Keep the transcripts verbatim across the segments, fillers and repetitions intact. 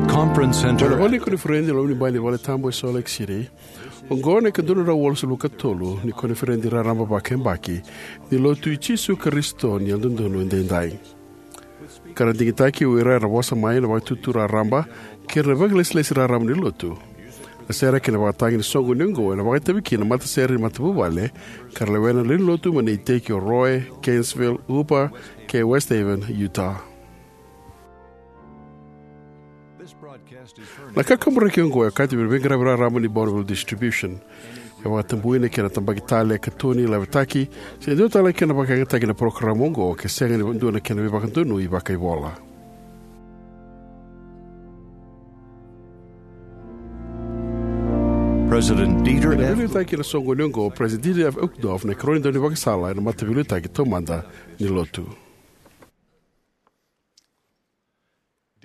Conference Center. Ena vale ni koniferedi e loma ni bai ni vale tabu e Salt Lake City, oqo na ikadua na drau walusagavulu ka tolu ni koniferedi raraba vakayabaki ni Lotu i Jisu Karisito ni Yalododonu Edaidai. Ka ra digitaki o ira era vosa mai ena Vakaitutu Raraba kei ira na vakailesilesi raraba ni Lotu. Na sere kei na vakatagi ni soqoni oqo ena vakaitavi kina na matasere ni matavuvale ka ra lewena na lewe ni Lotu mai na iteki o Roy, Gainesville, Upper, kei West Haven, Utah. Na kakaburaki oqo e okati vei na veiqaravi raraba ni Bonneville Distribution. E vakatabui na kena tabaki tale, katoni, lavetaki, se dua tale na kena vakayagataki na parokaramu oqo ke sega ni dua na kena veivakadonui vakaivola. President Dieter Ena F. veiliutaki ena soqoni oqo o President Dieter F. Uchtdorf, na ikarua ni daunivakasala ena Mataveiliutaki Taumada ni Lotu.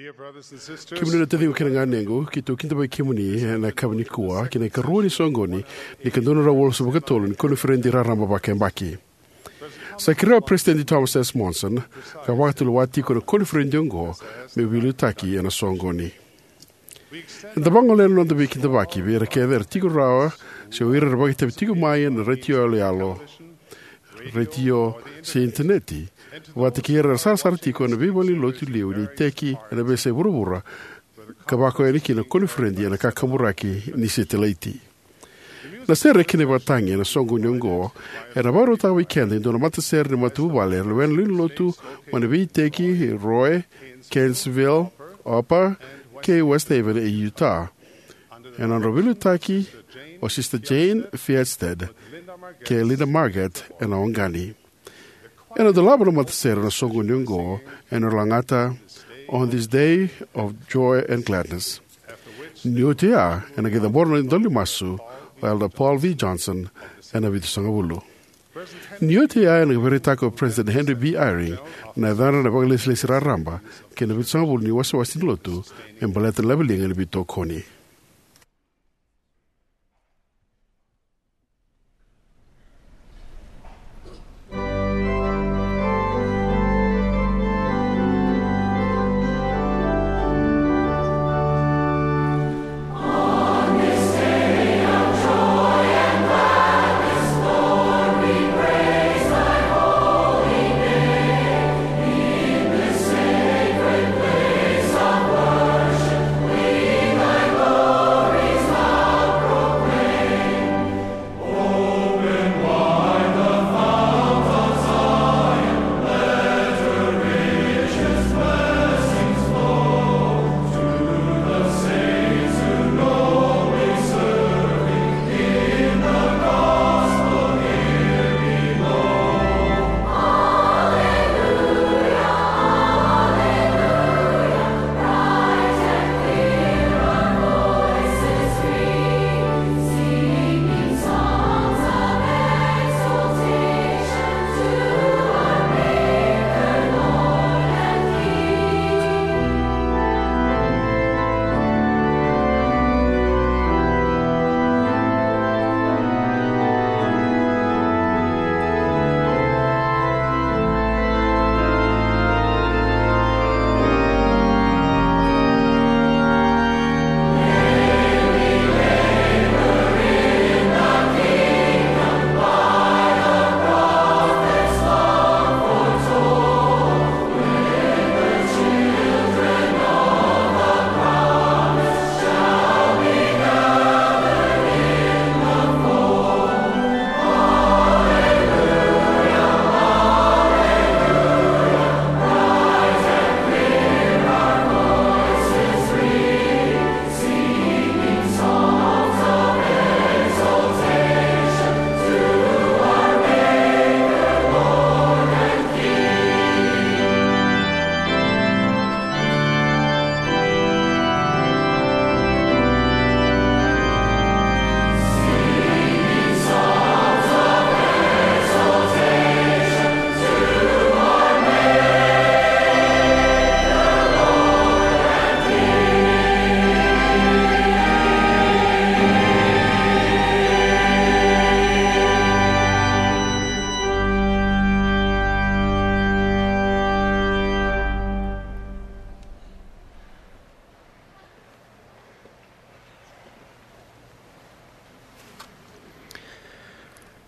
Kemuni na taciqu kei na ganequ, keitou kidavaki kemuni ena yakavi nikua ki na ikarua ni soqoni ni ikadua na drau walusagavulu ka tolu ni koniferedi raraba vakayabaki. Sa kerea o President Thomas S. Monson ka vakatulewa tiko na koniferedi oqo me veiliutaki ena soqoni. Eda vagolea na noda veikidavaki vei ira kece era tiko rawa se o ira era vakaitavi tiko mai ena retio yaloyalo, retio, se initaneti, vata kei ira era sarasara tiko ena veivalenilotu liu ni iteki ena veiyasai vuravura, ka vakayawa yani kina na koniferedi ena kakaburaki ni setilaiti. Na sere kei na vakatagi ena soqoni oqo ena vakarautaka vei keda e dua na matasere ni matavuvale era lewena na lewe ni Lotu mai na veiiteki Roy, Gainesville, Upper, kei West Haven e Utah. Ena nodra veiliutaki o Sister Jane Fierstead kei Linda Marget ena Wangani. Ena dolava na matasere ena soqoni oqo ena lagata On This Day of Joy and Gladness. Ni oti oya, ena qai cabora na idola ni masu o Elder Paul V. Johnson ena vitusagavulu. Ni oti oya, ena qai vakaraitaka o President Henry B. Eyring na yacadra na vakailesilesi raraba kei na vitusagavulu ni wasewase ni Lotu me baleta na laveliga ni veitokoni.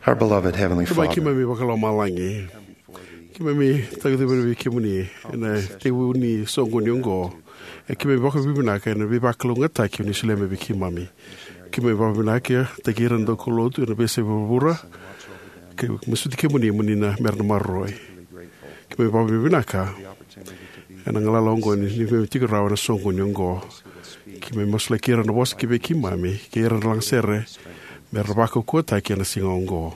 Our beloved Heavenly Tamai Father, keimami vakalomalagi, keimami taguci vei kemuni ena tekivu ni soqoni oqo. E keimami vakavinavinaka ena veivakalougatataki o ni solia mai vei keimami. Keimami vakavinavinakataki ira na daukaulotu ena veiyasai vuravura, ka masuti kemuni mo ni na mera na maroroi. Keimami vakavinavinaka ena galala oqo ni keimami tiko rawa ena soqoni oqo. Keimami masulaki ira na vosa ki vei keimami kei ira na lagasere mera vakaukauwataki ena siga oqo.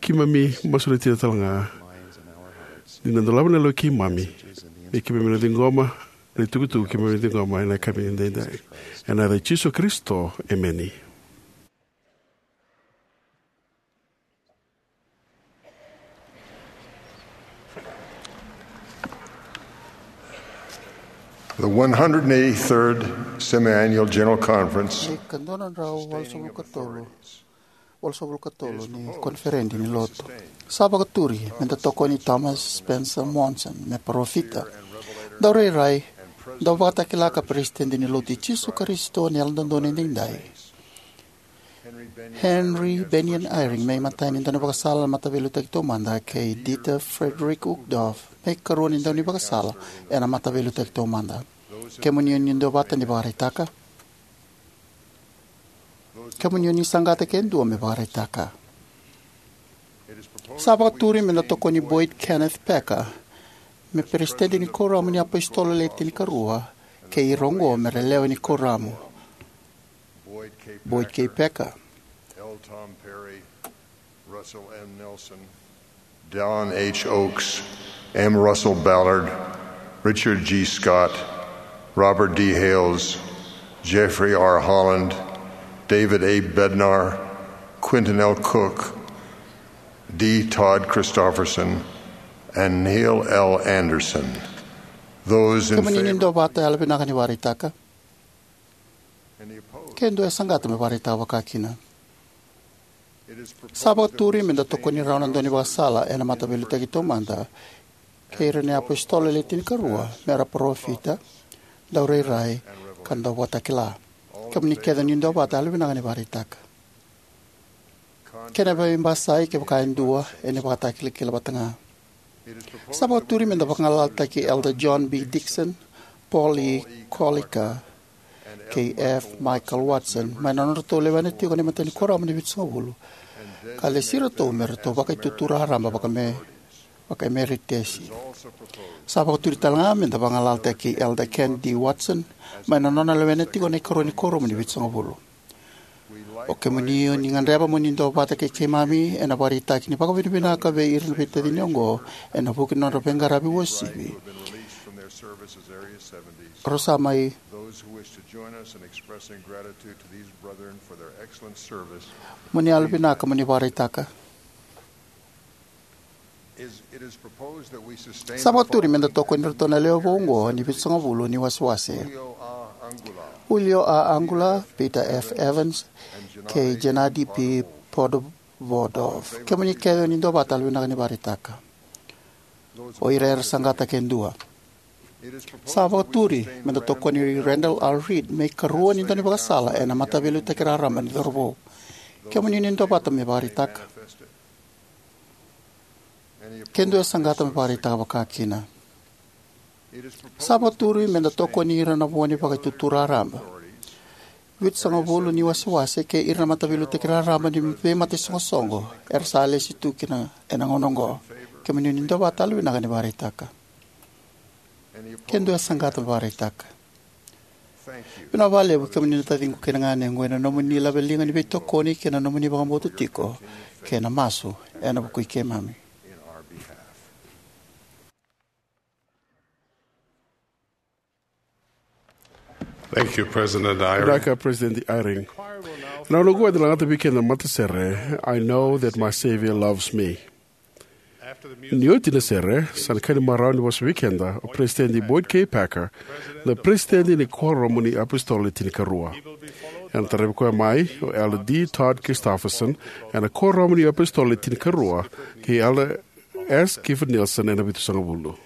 Keimami masulaki ira talega ni na dolava na lewe i keimami me keimami na ciqoma na itukutuku keimami ciqoma ena yakavi edaidai. Ena yaca i Jisu Karisito, emeni. The one hundred eighty-third Semiannual General Conference. Na ika dua na drau walusagavulu ka tolu, walusagavulu ka tolu ni koniferedi ni lotu. Sa vakaturi me da tokoni Thomas Spencer Monson me parofita, daurairai, dauvakatakila ka peresitedi ni Lotu i Jisu Karisito ni Yalododonu Edaidai, Henry Bennion Eyring me imatai ni daunivakasala na Mataveiliutaki Taumada, kei Dieter Friedrich Uchtdorf me ikarua ni daunivakasala ena Mataveiliutaki Taumada. Kemuni o ni duavata ni vakaraitaka. Kemuni o ni saqata ke dua me vakaraitaka. Sa vakaturi me da tokoni Boyd Kenneth Packer me peresitedi ni Kuoramu ni iApositolo Le Tinikarua, kei ira oqo me ra lewe ni Kuoramu: Boyd K. Packer, L. Tom Perry, Russell M. Nelson, Dallin H. Oaks, M. Russell Ballard, Richard G. Scott, Robert D. Hales, Jeffrey R. Holland, David A. Bednar, Quentin L. Cook, D. Todd Christofferson, and Neil L. Andersen. Those in favor. Kemuni ni duavata, yalovinaka ni vakaraitaka. Ke dua e saqata me vakaraitaka vakakina. Sa vakaturi me da tokoni rau na daunivakasala ena Mataveiliutaki Taumada, kei ira na iApositolo Le Tinikarua me ra parofita, daurairai, ka dauvakatakila. Kemuni kece ni duavata, yalovinaka ni vakaraitaka. Kena veibasai, kevaka e dua, ena vakatakilakila vata ga. Sa vakaturi me da vagalalataki Elder John B. Dixon, Paul E. Koliker, kei F. Michael Watson mai na nodratou lewena tiko na imatai ni Kuoramu ni Vitusagavulu, ka lesi iratou me ratou Vakaitutu Raraba vakaeme-, vakaemeritesi. Sa vakaturi talega me da vagalalataki Elder Ken D. Watson mai na nona lewena tiko na ikarua ni Kuoramu ni Vitusagavulu. O kemuni o ni gadreva mo ni duavata kei keimami ena vakaraitaki ni vakavinavinaka vei ira na veitacini oqo ena vuku ni nodra veiqaravi uasivi, rau sa mai. Those who wish to join us in expressing gratitude to these brethren for their excellent service. Mo ni yalovinaka mo ni vakaraitaka. Sa vakaturi me da tokoni iratou na lewe vou oqo ni Vitusagavulu ni wasewase: Julio A. Angular, Peter F. Evans, kei Gennady P. Podvodov. Kemuni kece o ni duavata, yalovinaka ni vakaraitaka. O ira era saqata ke dua. Sa vakaturi me da tokoni Randall R. Reed me ikarua ni daunivakasala ena Mataveiliutaki Raraba ni Cauravou. Kemuni ni duavata me vakaraitaka. Ke dua e saqata me vakaraitaka vakakina. Sa vakaturi me da tokoni ira na vo ni Vakaitutu Raraba, Vitusagavulu ni wasewase kei ira na Mataveiliutaki Raraba ni veimataisoqosoqo era sa lesi tu kina ena gauna oqo. Kemuni ni duavata, yalovinaka ni vakaraitaka. Ke dua e saqata me vakaraitaka. Vinaka vakalevu, kemuni na taciqu kei na ganequ, ena nomuni laveliga ni veitokoni kei na nomuni vakabauta tiko kei na masu ena vuku i keimami. Thank you, President Eyring. Vinaka, President Eyring. Ena gauna oqo eda na lagata vei keda na matasere, I Know That My Savior Loves Me. Ni oti na sere, sa na kena marau ni vosa vei keda o President Boyd K. Packer, na President ni Kuoramu ni iApositolo Le Tinikarua. Ena taravi koya mai o Elder D. Todd Christofferson ena Kuoramu ni iApositolo Le Tinikarua, kei Elder S. Gifford Nielsen ena Vitusagavulu.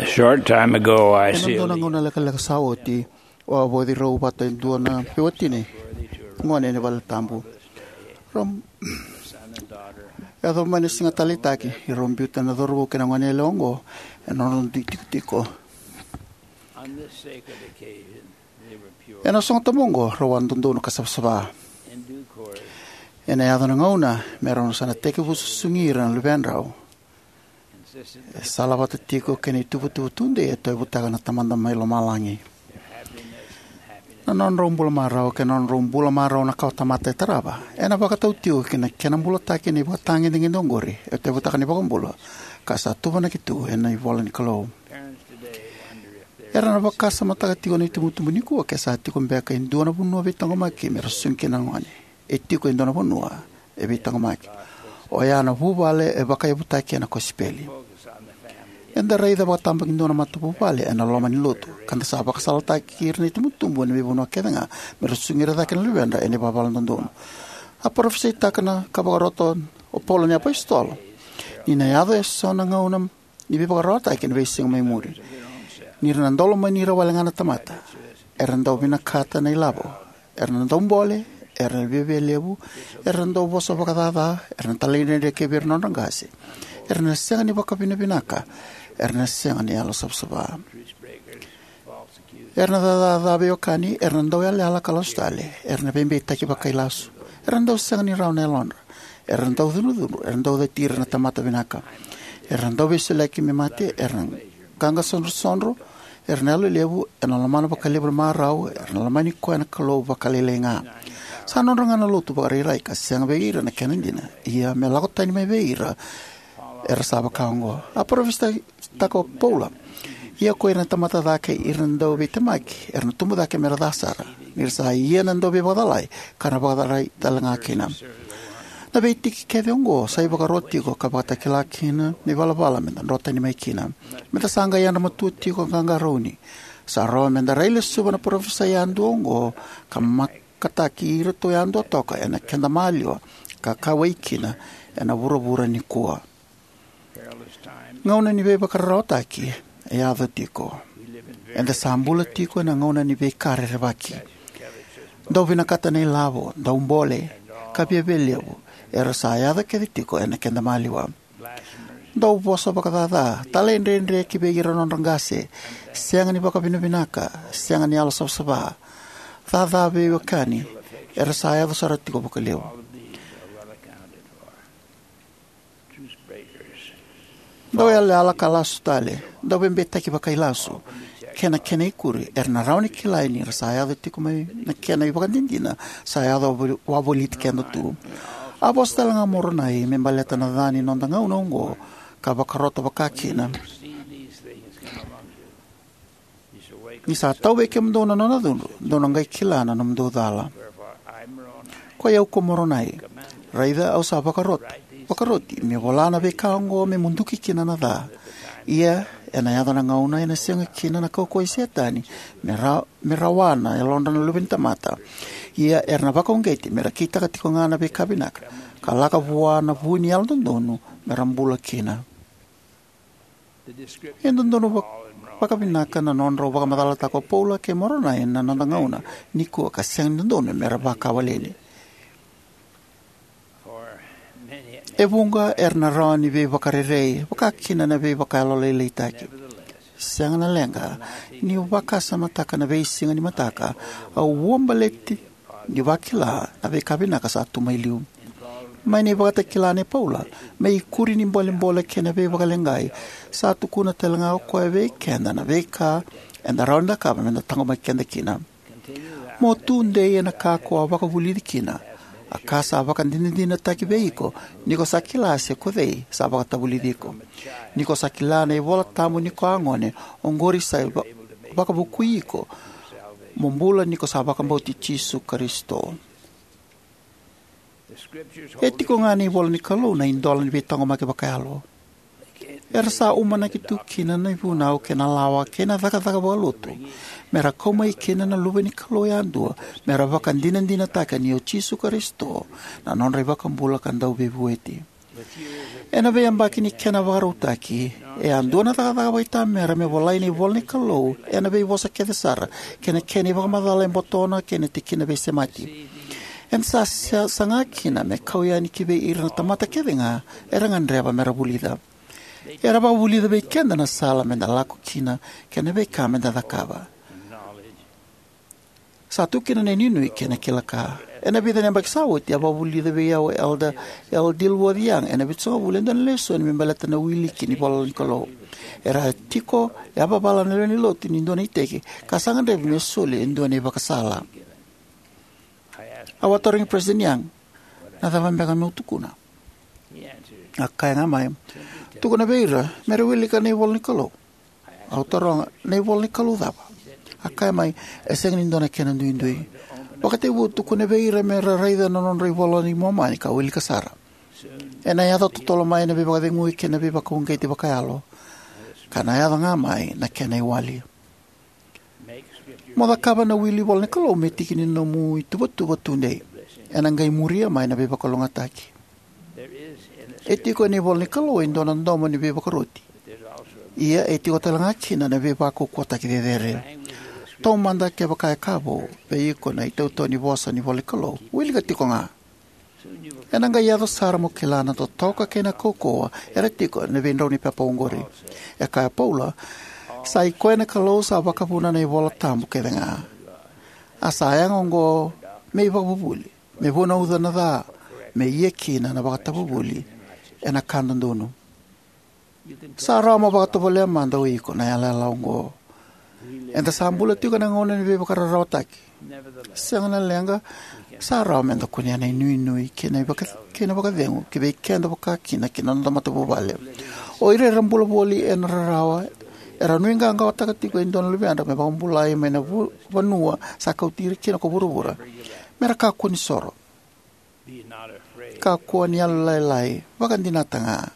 A short time ago, I Ena dua na sealed gauna lekaleka sa oti, au a vauci rau vata e dua na veiwatini gone ena vale tabu. Rau yaco mai na siga taleitaki, rau biuta na cauravou kei na gone yalewa oqo ena nodra dui tikotiko. On this sacred occasion, they were pure Ena sogo tabu oqo, rau a dodonu ka savasava. In due course, Ena yaco na gauna me rau sa na tekivu susugi ira na luvedrau. E salavata tiko kei na ituvatuva tudei e tauyavutaka na Tamada mai Lomalagi. Na nodrau bula marau kei na nodrau bula marau na kawatamata e tarava ena vakatau tiko ki na kena bulataki na ivakatagedegede oqori e tauyavutaka na iVakabula, ka sa tuvanaki tu ena ivola ni Kalou. Era na vakasamataka tiko na itubutubu nikua ke sa tiko beka e dua na vanua veitaqomaki me ra susugi kina na gone. E tiko e dua na vanua e veitaqomaki. Oya na vuvale e vakayavutaki ena kosipeli. Eda raica vakatabakidua na matavuvale ena loma ni lotu, ka da sa vakasalataki ira na itubutubu ena veivanua kece ga me ra susugi ira cake na luvedra ena ivalavala dodonu. A parofisaitaka na ka vakarota o Paula na apositolo ni na yaco eso na gauna ni veivakararawataki ena veisiga mai muri. Ni ra na dau lomani ira wale ga na tamata, era dau vinakata na ilavo, era na dau bole, era na viavialevu, era na dau vosa vakacaca, era na talaidredre kei vei ira na nodra qase, era na sega ni vakavinavinaka, era na sega ni yalo savasava. Era na cacaca veiwekani, era na dau yalayala ka lasu tale, era na veibeitaki vakailasu, era na dau sega ni rawa na yalodra, era na dau cudrucudru, era na dau cati ira na tamata vinaka, era na dau veisoliyaki me mate, era na qaqa sodrosodro, era na yalo levu, era na lomana vakalevu na marau, era na lomani koya na Kalou vakalailai ga. Sa nodra ga na lotu vakarairai ka sega vei ira na kena dina, ia me lako tani mai vei ira era sa vaka oqo. A parofisaitaka o Paula, ia ko ira na tamata ca kei ira na dauveitemaki era na tubu cake me ra ca sara, ni ra sa ia na dauveivakacalai ka na vakacalai tale ga kina. Na veitiki kece oqo sa ivakaro tiko ka vakatakila kina na ivalavala me da dro tani mai kina. Me da sa qai yadra matua tiko ka qaqarauni. Sa rawa me da railesuva na parofisai yadua oqo ka makataki iratou yadua toka ena keda maliwa ka kauwai kina ena vuravura nikua. Gauna ni veivakararawataki e yaco tiko. Eda sa bula tiko ena gauna ni veika rerevaki. Dau vinakata na ilavo, dau bole, ka viavialevu, era sa yaco kece tiko ena keda maliwa. Dau vosa vakacaca, talaidredre ki vei ira na nodra qase, sega ni vakavinavinaka, sega ni yalo savasava, caca veiwekani, era sa yaco sara tiko vakalevu. Dau yalayala ka lasu tale, dau veibeitaki vakailasu, kei na kena ikuri, era na rawa ni kilai ni ra sa yaco tiko mai na kena ivakadinadina sa yaco wavoliti keda tu. A vosa tale ga o Moronai me baleta na ca ni noda gauna oqo ka vakarota vakakina. Ni sa tau vei kemudou na nona cudru, dou na qai kila na nomudou cala. Koi au ko Moronai, raica au sa vakarot-, vakaroti meu vola na veika oqo me muduki kina na ca. Ia, ena yaco na gauna ena sega kina na kaukauwa i Setani me ra-, me rawa na yalodra na luve ni tamata. Ia, era na vakauqeti me ra kitaka tiko ga na veika vinaka, ka lako vua na vu ni yalododonu me ra bula kina. E dodonu vak-, vakavinaka na nodrau vakamacalataka o Paula kei Moronai na noda gauna nikua ka sega ni dodonu me ra vakawaleni. E vuqa era na rawa ni veivakarerei, vakakina na veivakayalolailaitaki. Sega na leqa, niu vakasamataka na veisiga ni mataka, au uabaleti ni vakila na veika vinaka sa tu mai liu. Mai na ivakatakila nei Paula, me ikuri ni bolebole kei na veivakaleqai, sa tukuna tale ga o koya vei keda na veika eda rawa ni cakava me da taqomaki keda kina. Mo tu dei ena ka ko a vakavulici kina, a ka sa vakadinadinataki vei iko, ni ko sa kila se ko cei sa vakatavulici iko. Ni ko sa kila na iVola Tabu ni ko a gone, oqori sa va-, vakavukui iko mo bula ni ko sa vakabauti Jisu Karisito. E tiko ga na ivola ni Kalou na idola ni veitaqomaki vakayalo. Era sa umanaki tu kina na ivunau kei na lawa kei na cakacaka vakalotu, me ra kau mai kina na luve ni Kalou yadua, me ra vakadinadinataka ni o Jisu Karisito na nodra iVakabula ka Dauveivueti. Ena veiyabaki ni kena vakarautaki, e a dua na cakacaka vakaitamera me volai na ivolanikalou ena veivosa kece sara, kei na kena ivakamacala e botona kei na tikina veisemati. Eda sa saga kina me kau yani kivei ira na tamata kecega era gadreva mera vulica. Era vakavulica vei keda na sala meda lako kina kei na veika meda cakava. Sa tu kina na inuinui kei na kila-ka. Ena vica na yabaki sa oti a vakavulica vei au o Elder L. Dilworth Young ena Vitusagavulu e dua na lesoni me baleta na wili ki na ivolanikalou. Era a tiko yavavala na lewe ni lotu ni dua na iteki ka sa gadrevi me soli e dua na ivakasala. Au a tarogi President Young, "Na cava beka meu tukuna?" A kaya ga mai, "Tukuna vei ira mera wilika na ivolanikalou." Au taroga, "Na ivolanikalou cava?" A kaya mai, "E sega ni dua na kena duidui. Vakatekivu tukuna vei ira mera raica na nodra iVola i Momani ka wilika sara. Ena yaco totolo mai na veivakacegui kei na veivakauqeti vakayalo, ka na yaco ga mai na kena iwali. Mo cakava na wili ivolanikalou me tiki ni nomu ituvatuva tudei. Ena qai muria mai na veivakalougatataki." E tiko ena ivolanikalou e dua na domo ni veivakaroti. Ia e tiko tale ga kina na veivakaukauwataki cecere. Taumada kevaka e ka vou vei iko na itautau ni vosa ni ivolanikalou, wilika tiko ga. Ena qai yaco sara mo kila na totoka kei na kaukauwa era tiko ena veidrau ni pepa oqori. E kaya o Paula, "Sa i koya na Kalou sa vakavuna na ivola tabu kecega. A sa yaga oqo me ivakavuvuli, me vunauca na ca, me ia kina na vakatavuvuli ena ka dodonu." Sa rawa mo vakatovolea mada o iko na yalayala oqo. Eda sa bula tiko ena gauna ni veivakararawataki. Sega na leqa, sa rawa meda kunea na inuinui kei na ivaka-, kei na vakacegu ki vei keda vaka kina ki na noda matavuvale. O ira era bula voli ena rarawa era nuiqawaqawataka tiko e dua na luvedra me vakabulai mai na vu-, vanua sa kauti ira kina ko vuravura. Mera kakua ni soro. Kakua ni yalolailai, vakadinata ga.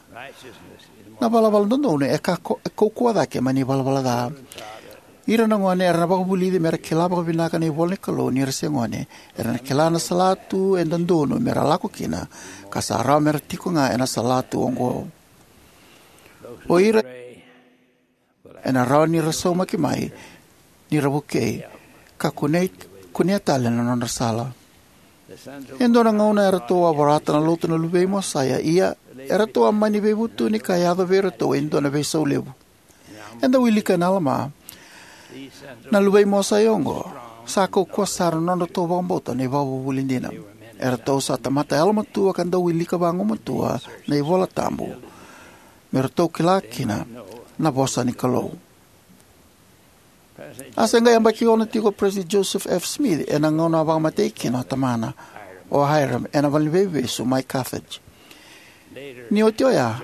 Na valavala dodonu e kako-, e kaukauwa cake mai na ivalavala ca. Ira na gone era na vakavulici mera kila vakavinaka na ivolanikalou ni ra se gone. Era na kila na salatu e dodonu mera lako kina, ka sa rawa mera tiko ga ena salatu oqo. O ira ena rawa ni ra saumaki mai ni ra vukei ka kunei, kunea tale na nodra sala. E dua na gauna eratou a vorata na lotu na luvei Mosaia, ia eratou a mani veivutuni ka yaco vei iratou e dua na veisau levu. Eda wilika ena Alama, na luvei Mosaia oqo sa kaukauwa sara na nodratou vakabauta na ivakavuvuli dina. Eratou sa tamata yalomatua ka dau wilika vagumatua na iVola Tabu me ratou kila kina na vosa ni Kalou. A se qai yabaki ono tiko o President Joseph F. Smith ena gauna a vakamatei kina o tamana, o Hyrum, ena valeniveivesu mai Carthage. Ni oti oya,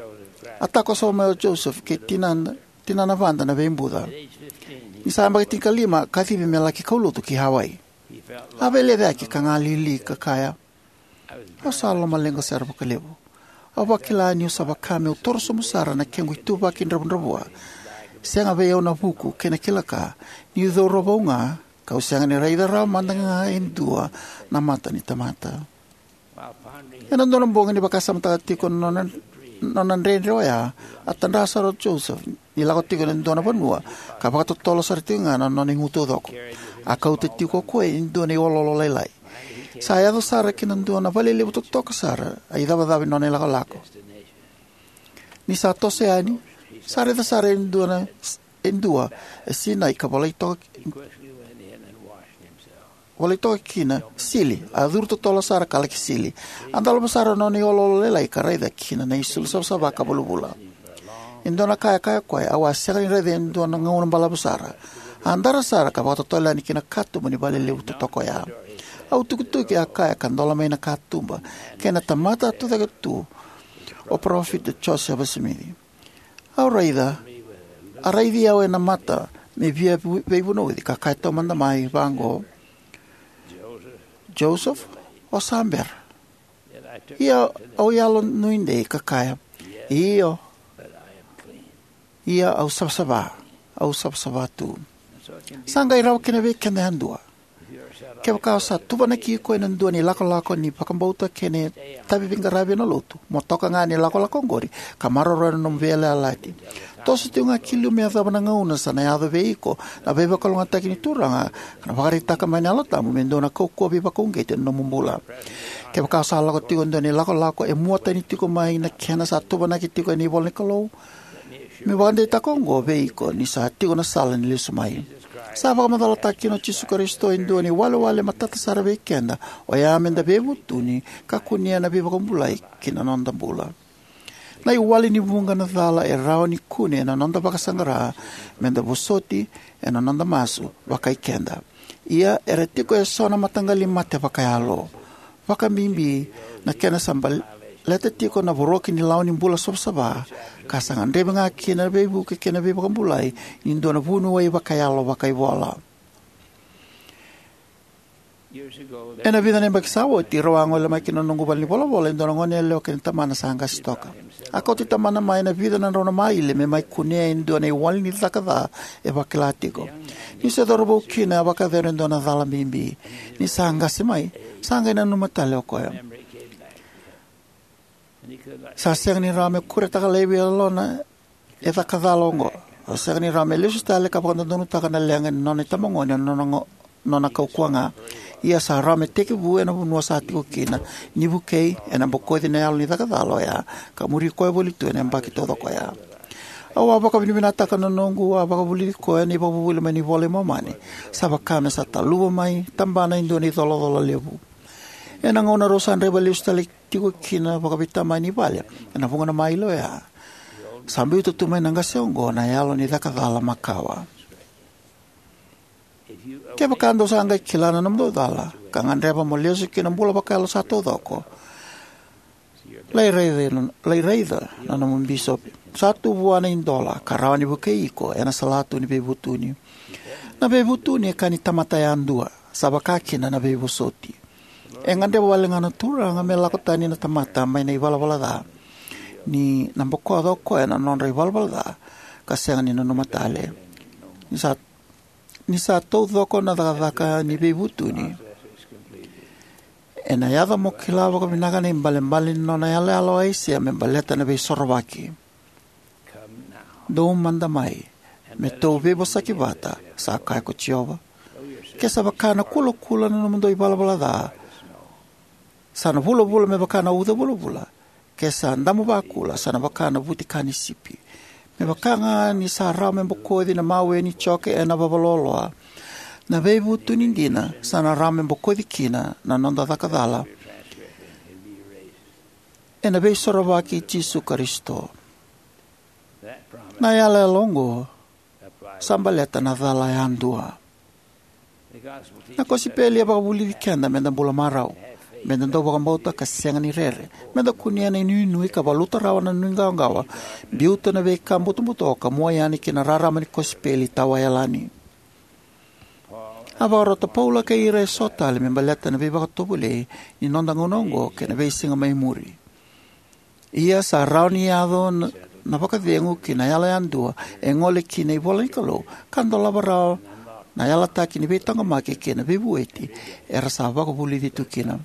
a takosova mai o Joseph kei tinana, tinana vada na veibuca. Ni sa yabaki tinikalima, a kacivi me laki kaulotu ki Hawaii. A veilecayaki ka galili ka kaya, "Au sa lomaleqa sara vakalevu. Au vakila niu sa vaka meu torosobu sara na kequ ituvaki dravudravua. Sega vei au na vuku kei na kila-ka, niu cauravou ga, kau sega ni raica rawa mada ga e dua na mata ni tamata." Ena dua na bogi ni vakasamataka tiko na nona, nona dredre oya, a tadra sara o Joseph ni lako tiko ena dua na vanua ka vakatotolo sara tiko ga na nona igu taucoko. A kauta tiko o koya e dua na ioloolo lailai. Sa yaco sara ki na dua na vale levu totoka sara a icavacava ni nona ilakolako. Ni sa toso yani, sa raica sara e dua na, e dua e sinai ka volai toka, volai toka kina sili, a curu totolo sara ka laki sili. A dolava sara na nona ioloolo lailai ka raica kina na isulu savasava ka vulavula. E dua na ka e kaya o koya, "Au a sega ni raica ena dua na gauna balavu sara." A dara sara ka vakatotolo yani ki na katuba ni vale levu totoka oya. "Au tukituki," a kaya, "ka dola mai na katuba, kei na tamata a tucake tu, o Parofita Josefa Simici. Au raica, a raici au ena mata me via vu-, veivunauci, ka kaya taumada mai vaqo, 'Joseph, o sa bera?' Ia au yalonuidei ka kaya, 'Io, ia au savasava, au savasava tu.'" Sa qai rawa kina vei keda yadua. Kevaka o sa tuvanaki iko ena dua na ilakolako ni vakabauta kei na itavi veiqaravi ena Lotu, mo toka ga ena ilakolako oqori ka maroroya na nomu veiyalayalati. Toso tiko ga ki liu me yacova na gauna sa na yaco vei iko na veivakalougatataki ni Turaga ka na vakaraitaka mai na Yalo Tabu me dua na kaukauwa veivakauqeti ena nomu bula. Kevaka o sa lako tiko ena dua na ilakolako e muatani tiko mai na kena sa tuvanaki tiko ena ivolanikalou, meu vakadeitaka oqo vei iko ni sa tiko na sala ni lesu mai. Sa vakamacalataka kina o Jisu Karisito e dua na iwalewale matata sara vei keda, oya me da veivutuni ka kunea na veivakabulai ki na noda bula. Na iwali ni vuqa na cala e rawa ni kune ena noda vakasaqara me da vosoti ena noda masu vakaikeda. Ia era tiko eso na mataqali mate vakayalo, vakabibi na kena sa baleta tiko na voroki ni lawa ni bula savasava, ka sa gadrevi ga kina na veivuke kei na veivakabulai ni dua na vuniwai vakayalo vakaivola. Ena vica na yabaki sa oti, rau a gole mai ki na noqu valenivolavola e dua na goneyalewa kei na tamana sa qase toka. A kauti tamana mai ena vica na drau na maile me mai kunea e dua na iwali ni caka ca e vakila tiko. Ni se cauravou kina, a vakayacora e dua na cala bibi. Ni sa qase mai, sa qai nanuma tale o koya. Sa sega ni rawa me kuretaka laivi e yalona e caka cala oqo. Sa sega ni rawa me lesu tale ka vakadodonutaka na leqa ni nona itabagone ena nona, nona kaukauwa ga. Ia sa rawa me tekivu ena vanua sa tiko kina, ni vukei ena bokoci na yalo ni caka cala oya, ka muri koya voli tu ena yabaki taucoko oya. Au a vakavinavinakataka na noqu a vakavulici koya na ivakavuvuli mai na iVola i Momani. Sa vaka me sa taluva mai tabana e dua na icolacola levu. Ena gauna rau sa draiva lesu tale tiko kina vakaveitamani i vale ena vuqa na maile oya, sa biuta tu mai na qase oqo na yalo ni caka cala makawa. Kevaka dou sa qai kila na nomudou cala ka gadreva mo lesu ki na bula vakayalo sa taucoko, lai raica, lai raica na nomu bisopi. Sa tu vua na idola ka rawa ni vukei iko ena salatu ni veivutuni. Na veivutuni e ka ni tamata yadua, sa vaka kina na veivosoti. E gadreva wale ga na Turaga me lako tani na tamata mai na ivalavala ca, ni na bokoca o koya na nodra ivalavala ca ka sega ni nanuma tale. Ni sa, ni sa taucoko na cakacaka ni veivutuni, ena yaco mo kila vakavinaka na ibalebale ni nona yalayala o Aisea me baleta na Veisorovaki. Dou mada mai, me tou veivosaki vata, sa kaya ko Jiova. Ke sa vaka na kulakula na nomudou ivalavala ca, sa na vulavula me vaka na uca vulavula, ke sa damu vakula, sa na vaka na vutika ni sipi. Me vaka ga ni sa rawa me bokoci na mawe ni joke ena vavaloaloa, na veivutuni dina sa na rawa me bokoci kina na noda caka cala ena Veisorovaki i Jisu Karisito. Na yalayala oqo sa baleta na cala yadua. Na kosipeli e vakavulici keda me da bula marau, me da dau vakabauta ka sega ni rere, me da kunea na inuinui ka valuta rawa na nuiqawaqawa, biuta na veika butobuto ka mua yani ki na rarama ni kosipeli tawayalani. A vakarota o Paula kei ira eso tale me baleta na veivakatovolei ni noda gauna oqo kei na veisiga mai muri. Ia sa rawa ni yaco na, na vakacegu ki na yalo yadua e gole ki na ivola ni Kalou, ka dolava rawa na yalataki ni veitaqomaki kei na veivueti era sa vakavulici tu kina.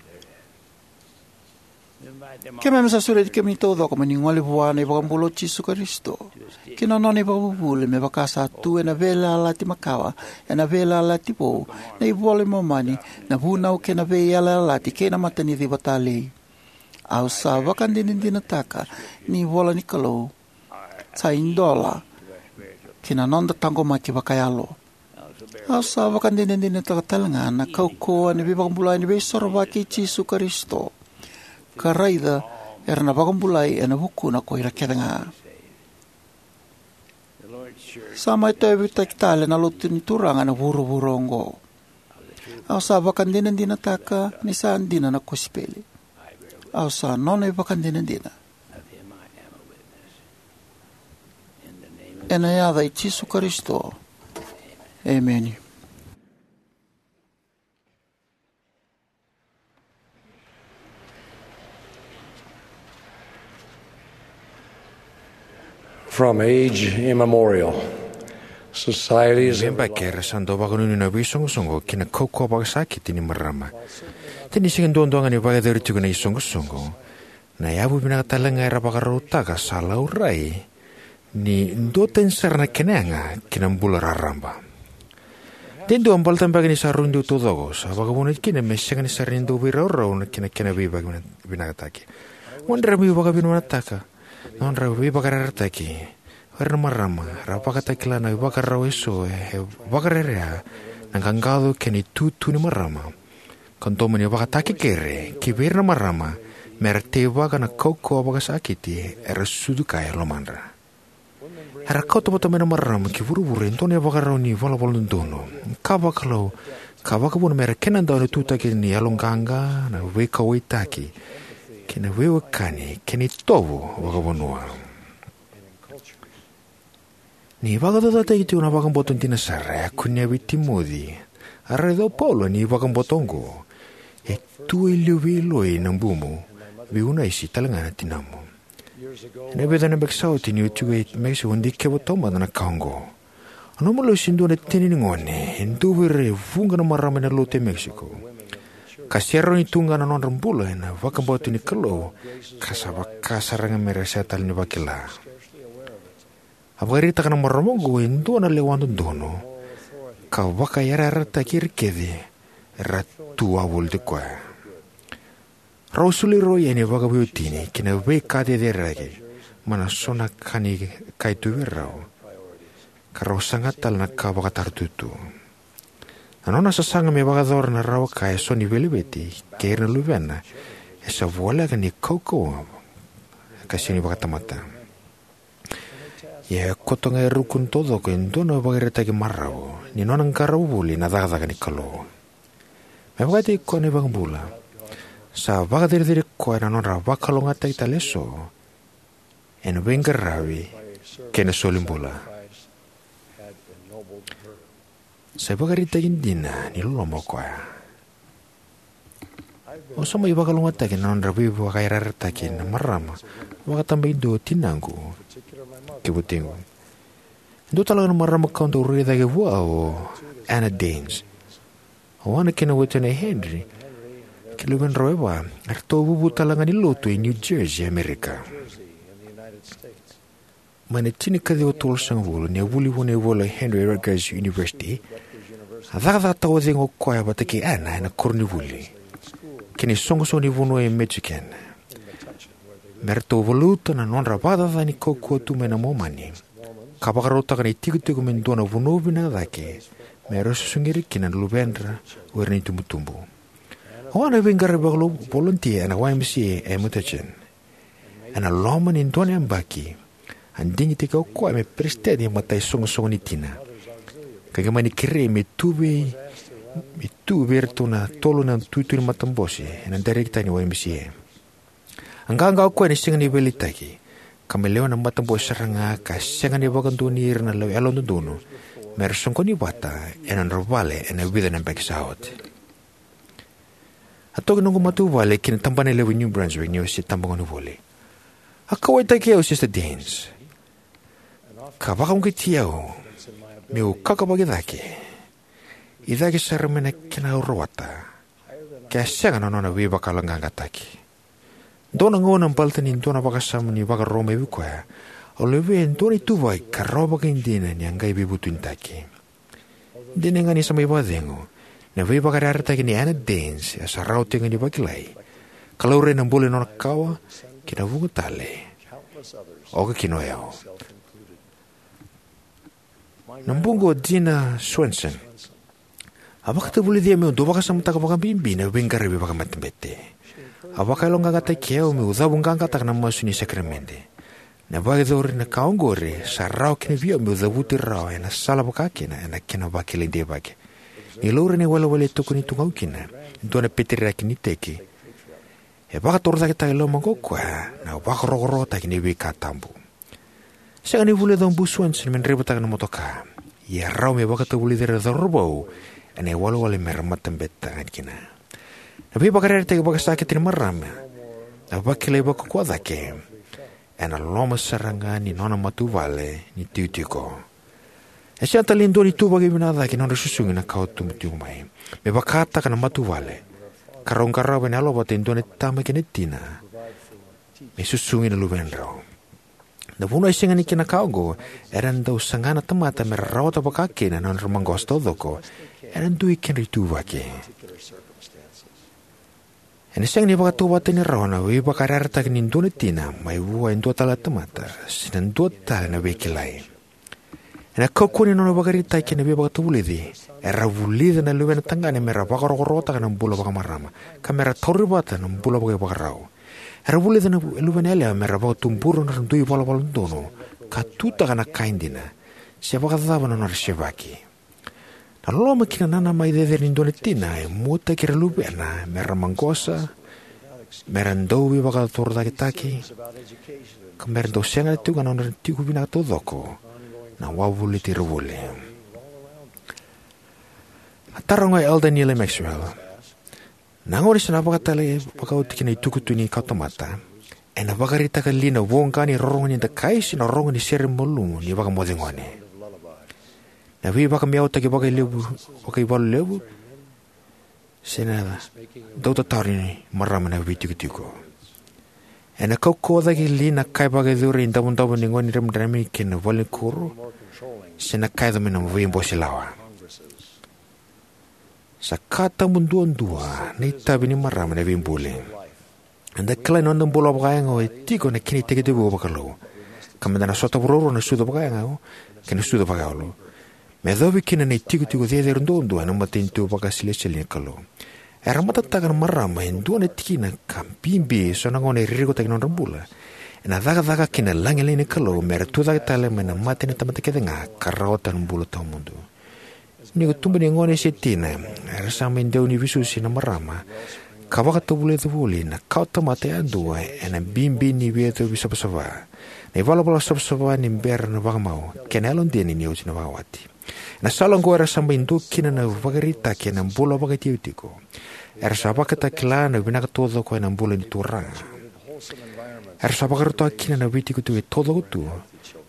Keimami sa sureti kemuni taucoko mo ni gole vua na iVakabula o Jisu Karisito, ki na nona ivakavuvuli me vaka sa tu ena Veiyalayalati Makawa, ena Veiyalayalati Vou, na iVola i Momani, na Vunau kei na Veiyalayalati kei na Mataniciva Talei. Au sa vakadinadinataka ni ivola ni Kalou sa idola ki na noda taqomaki vakayalo. Au sa vakadinadinataka tale ga na kaukauwa ni veivakabulai ni Veisorovaki i Jisu Karisito, ka raica era na vakabulai ena vukuna ko ira kece ga. Sa mai tauyavutaki tale na Lotu ni Turaga ena vuravura oqo. Au sa vakadinadinataka ni sa dina na kosipeli. Au sa nona ivakadinadina. Ena yaca i Jisu Karisito. Emeni. From age immemorial, Societies of Veibaki era sa dau vakanuinui na veisoqosoqo kei na kaukauwa vakasakiti ni marama. De ni sega duadua ga ni vakayacori tiko na isoqosoqo, na yavu vinaka talega era vakarautaka sa laurai ni duatani sara na kena yaga ki na bula raraba. De dua baleta beka ni sa rui dui taucoko, sa vakavuna kina me sega ni sara ni dau veiraurau na kena kena veivakinakataki. Mo dra veivakinakataka na nodra veivakayarayarataki. O ira na marama ra vakatakila na ivakarau eso e vakarerevaka na qaqaco kei na itutu ni marama, ka domo ni vakatakekere ki vei ira na marama me ra teivaka na kaukauwa vakasakiti era sucu kaya e lomadra. Era kauta vata mai na marama ki vuravura e dua na ivakarau ni valavala dodonu, ka vakalou, ka vakavuna me ra kenadau na tutaki ni yaloqaqa, na veikauwaitaki, kei na veiwekani kei na itovo vakavanua. Ni vakacaucautaki tiko na vakabauta dina sara, e a kunea vei Timoci, a raica o Paula ni vakabauta oqo: E tu e liu vei Loi na bumu, vei Unaisi talega na tinamu. Ena vica na yabaki sa oti niu tiko e Mexico, au dikevi taumada na ka oqo. Au nanuma lesu e dua na tini ni gone, e dua vei ira e vuqa na marama ena lotu e Mexico, ka sega ni rawa ni tu ga na nodra bula ena vakabauta ni Kalou, ka sa vaka sara ga me ra sega tale ni vakila. A vakaraitaka na marama oqo e dua na lewa dodonu, ka vakayarayarataki ira kece era tu wavoliti koya. Rau a soli rau yani vakaveiwatini ki na veika cecere mai na so na ka ni kaituvi rau, ka rau saga tale na ka vakataratutu. Na nona sasaga me vakayacora na rawa kaya eso ni veilaveti kei ira na luvena e sa voleka ni kaukauwa ka sega ni vakatamata. Ia e koto ga e ruku ni taucoko e dua na ivakaraitaki marau ni nona qarava voli na cakacaka ni Kalou. Me vakataki koya na iVakabula, sa vakacerecerei koya na nodra vakalougatataki tale eso ena veiqaravi kei na solibula. Sa ivakaraitaki dina ni loloma o koya. Au sa mai vakalougatataki na nodra veivakayarayarataki na marama, vakatabakidua o tinaqu kei watiqu. E dua tale ga na marama kau dau rairai cake vua o Anna Danes. O Anna kei na watina o Henry kei luvedrau e va, eratou a vuvu tale ga ni lotu e New Jersey, Amerika. Mai na tinikaciwa tolusagavulu, ni a vuli vua na ivola o Henry Rutgers University, a cakacakataka o cei ga o koya vata kei Anna ena koronivuli kei na isoqosoqo ni vanua e Michigan, me ratou valuta na nodra vakacacani kaukauwa tu mai na Momani, ka vakarautaka na itikotiko me dua na vanua vinaka cake me ra susugi ira kina na luvedra o ira na itubutubu. O Anna a veiqaravi vakalou, volontia ena Y M C A e Metuchen. Ena loma ni dua na yabaki, a digitaki o koya me peresitedi ni mataisoqosoqo ni tina, ka qai mani kerei me tu vei, me tu vei iratou na tolu na itutu ni matabose ena dairekitaki ni Y M C A. A qaqa o koya ni sega ni veiliutaki, ka me lewe ni matabose sara ga, ka sega ni vakadonui ira na lewe yalododonu me ra soqoni vata ena nodra vale ena vica na yabaki sa oti. A toki noqu matavuvale ki na tabana levu e New Brunswick niu se tabagone voli. A kauwaitaki au o Sister Danes, ka vakauqeti au meu kakavaki cake, i cake sara mai na kena au rawata, ke a sega na nona veivakayaloqaqataki. Dua na gauna, baleta ni dua na vakasama ni vakarorogo mai vei koya, au levea e dua na ituvaki ka rawa vakaidina ni a qai veivutunitaki. Dina ga ni sa mai vakacegu, na veivakayarayarataki nei Anna Danes e sa rawa tiko ga ni vakilai, ka laurai na bula ni nona kawa kei na vuqa tale, oka kina o au. Na buqu o Dina Swenson a vakatavulici au meu dau vakasamataka vakabibi na veiqaravi vakamatabete. A vakayaloqaqataki au meu cavuqaqataka na masu ni sakaramede. Na vakayacori ni ka oqori sa rawa kina vei au meu cavuti rawa ena sala vakakina ena kena vakilai deivaki. Ni laurai na iwalewale e tokoni tu ga kina e dua na peteriaki ni iteki, e vakatorocaketaka e lomaqu o koya na vakarokorokotaki ni veika tabu. Sega ni vulica o Bu Swenson me draivataka na motoka, ia e rawa me vakatavulici ira na cauravou ena iwalewale me ra matabete kina. Na veivakayarayarataki vakasakiti ni marama, na vakilai vakaukauwa cake, ena loma sara ga ni nona matavuvale ni itikotiko. E sega tale ni dua na ituvaki vinaka cake na nodra susugi na ka o tubu tiko mai. Me vakataka na matavuvale, ka rau qarava ena yalo vata e dua na tama kei na tina me susugi na luvedrau. Na vanua e sega ni kena ka oqo, era dau saga na tamata me ra rawata vakakina na nodra maqosa taucoko ena dui kedra ituvaki. Ena sega ni vakatauvatani rawa na veivakayarayarataki ni dua na tina mai vua e dua tale na tamata se na dua tale na veikilai. Ena kaukauwa ni nona ivakaraitaki ena veivakatavulici, era vulica na luvena tagane me ra vakarokorokotaka na bula vakamarama, ka me ra tauri vata na bula vakaivakarau. Era vulica na luvena yalewa me ra vakatubura na nodra dui valavala dodonu ka tutaka na ka e dina, se vakacava na nodra sevaki. Na loloma kei na nanamaki cecere ni dua na tina e muataki ira na luvena me ra maqosa, me ra dau veivakatorocaketaki, ka me ra dau sega tiko ga na nodra tiko vinaka taucoko na wavoliti ira voli. A taroga o Elder Neal A. Maxwell, na gauna sa na vakatale vakaoti kina na itukutuku ni kawatamata, ena vakaraitaka li na voqa ni rorogo ni dakai se na rorogo ni sere malumu ni vakamoce gone, na veivakameautaki vakailevu, vakaivalu levu, se na dau tataro ni marama na veitikotiko? Ena kaukauwa cake li na ka e vakayacori e davodavo ni gone dramidrami kei na valenikuro, se na ka yaco mai na veibose lawa? Sa ka tabu duadua na itavi ni marama na veibuli. Eda kila ni noda bula vakayago e tiko na kena itekivu vakalou, ka meda na sota vuravura na sucu vakayago kei na sucu vakayalo, me yacovi kina na itikotiko cecere duadua ena matanitu vakasilesitieli ni Kalou. Era matataka na marama e dua na tikina ka bibi eso na gauna e ririkotaki na nodra bula ena cakacaka kei na lagilagi ni Kalou me ra tucake tale mai na mate na tamata kece ga ka rawata na bula tawamudu. Ni ko tuba ni gone se tina, era sa mai dewa ni veisusu na marama ka vakatavulica voli na kawatamata yadua ena bibi ni veiyacovi savasava, na ivalavala savasava ni bera na vakamau, kei na yalodina ni oti na vakawati. Ena sala oqo era sa mai dua kina na ivakaraitaki ena bula vakaitikotiko. Era sa vakatakila na vinaka taucoko ena bula ni Turaga. Era sa vakarautaka kina na veitikotiko e taucoko tu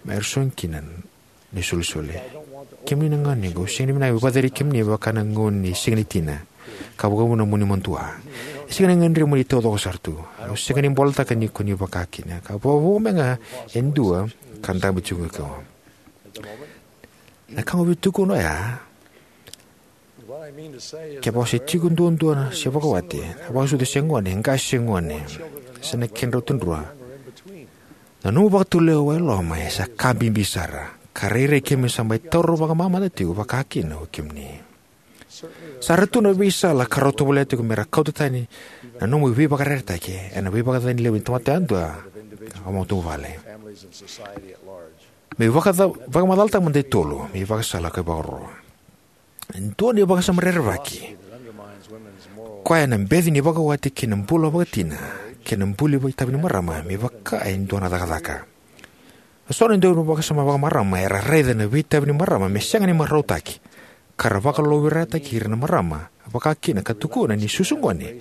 me ra sogi kina na isolisoli. Kemuni na ganequ, au sega ni vinaka meu vakacerevi kemuni me vaka na gauna ni siga ni tina, ka vakavuna mo ni madua. E sega ni gadrevi mo ni taucoko sara tu. Au sega ni bolataka ni ko ni vaka kina, ka vakavo mai ga e dua ka dabe tiko ga. Na ka au via tukuna oya, kevaka o se tiko duadua se vakawati, na vakasucu se gone, qase se gone, se na kedrau tadrua, na nomu vakatulewa e loma e sa ka bibi sara, ka rairai keimami sa mai taura vakamamada tiko vakakina o kemuni. Sa ra tu na veisala ka rau tovolea tiko me ra kauta tani na nomu veivakayarayarataki ena veivakacacani levu ni tamata yadua ka matavuvale. Me vakaca-, vakamacalataka mada e tolu me ivakasala ka ivakaro. Dua na ivakasama rerevaki koya na beci ni vakawati kei na bula vakatina kei na buli vakaitavi ni marama me vaka e dua na cakacaka. So na dau vakasama vakamarama era raica na veitavi ni marama me sega ni marautaki, ka ra vakalougatataki ira na marama vakakina ka tukuna ni susu gone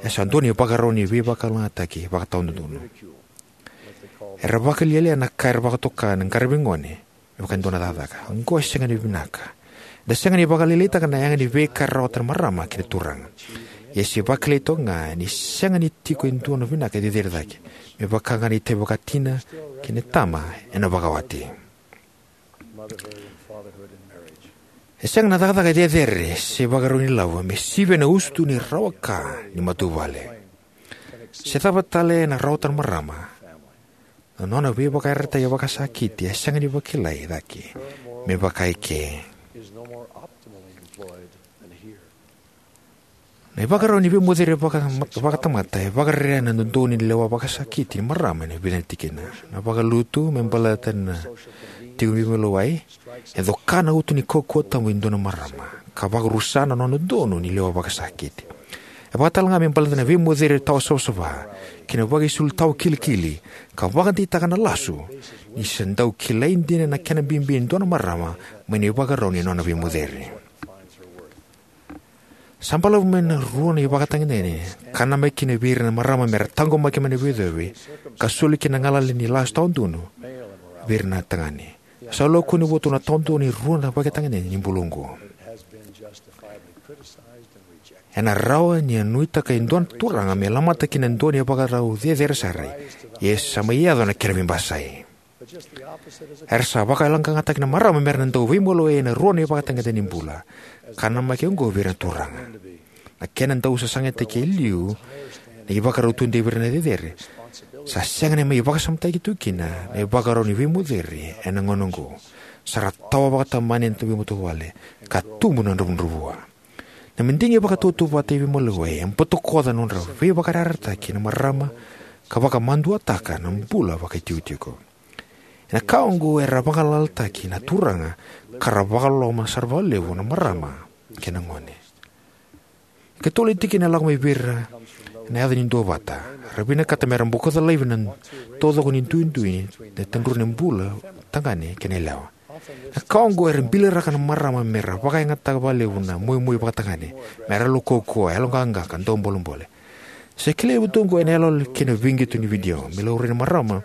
e sa dua na ivakarau ni veivakalougatataki vakatawadodonu. Era vakalialia na ka era vakatoka na qaravi gone me vaka e dua na cakacaka. Oqo e sega ni vinaka. Eda sega ni vakalailaitaka na yaga ni veika e rawata na marama kei na Turaga. Ia se vakilai toka ga ni sega ni tiko e dua na vinaka e cecere cake me vaka ga na itavi vakatina kei na tama ena vakawati. E sega na cakacaka e cecere se ivakarau ni lavo me sivia na usutu ni rawa ka ni matavuvale. Se cava tale ena rawata na marama, na nona veivakayarayarataki vakasakiti e sega ni vakilai cake me vaka e ke. Na ivakarau ni veimoceri vaka-, vakatamata e vakarere ena dodonu ni lewa vakasakiti ni marama ena vica na tikina. Na vakalutu me baleta na tiko ni veimaliwai, e coka na uto ni kaukauwa tabu e dua na marama ka vakarusa na nona dodonu ni lewa vakasakiti. E vakatalega me baleta na veimoceri tawa savasava kei na vakaisulu tawa kilikili, ka vakadeitaka na lasu ni sa dau kilai dina na kena bibi e dua na marama mai na ivakarau ni nona veimoceri. Sa balavu mai na rua na ivakatagedegede ka namaki kina vei ira na marama me ra taqomaki mai na veiyacovi ka soli kina na galala ni lasu tawa donu vei ira na tagane. Sa lako ni votu na taudua ni rua na ivakatagedegede ni bula oqo. Ena rawa ni a nuitaka e dua na turaga me lamata kina e dua na ivakarau cecere sara, ia sa mai yaco na kena veibasai. Era sa vakayaloqaqataki na marama mera na dau veimaliwai ena rua na ivakatagedegede ni bula, ka namaki oqo vei ira na turaga. Na kena dau sasagataki e liu na ivakarau tudei vei ira na cecere, sa sega ni mai vakasamataki tu kina na ivakarau ni veimoceri ena gauna oqo. Sa ra tawa vakatamani na veimatavuvale ka tubu na dravudravua. Na madigi vakatautauvata e veimaliwai e botokoca na nodra veivakayarayarataki na marama ka vakamaduataka na bula vakaitikotiko. Ena ka oqo era vagalalataki na turaga ka ra vakaloloma sara vakalevu na marama kei na gone. Ikatolu na tikina e lako mai vei ira ena yaca ni duavata. Ra vinakata mera bokoca laivi na taucoko ni duidui ni tadru ni bula tagane kei na yalewa. Na ka oqo era biliraka na marama mera vakayagataka vakalevu na moimoi vakatagane, mera yalo kaukauwa, yaloqaqa ka dau bolebole. Sa kilai vata oqo ena iyaloyalo kei na veiqito ni vidio me laurai na marama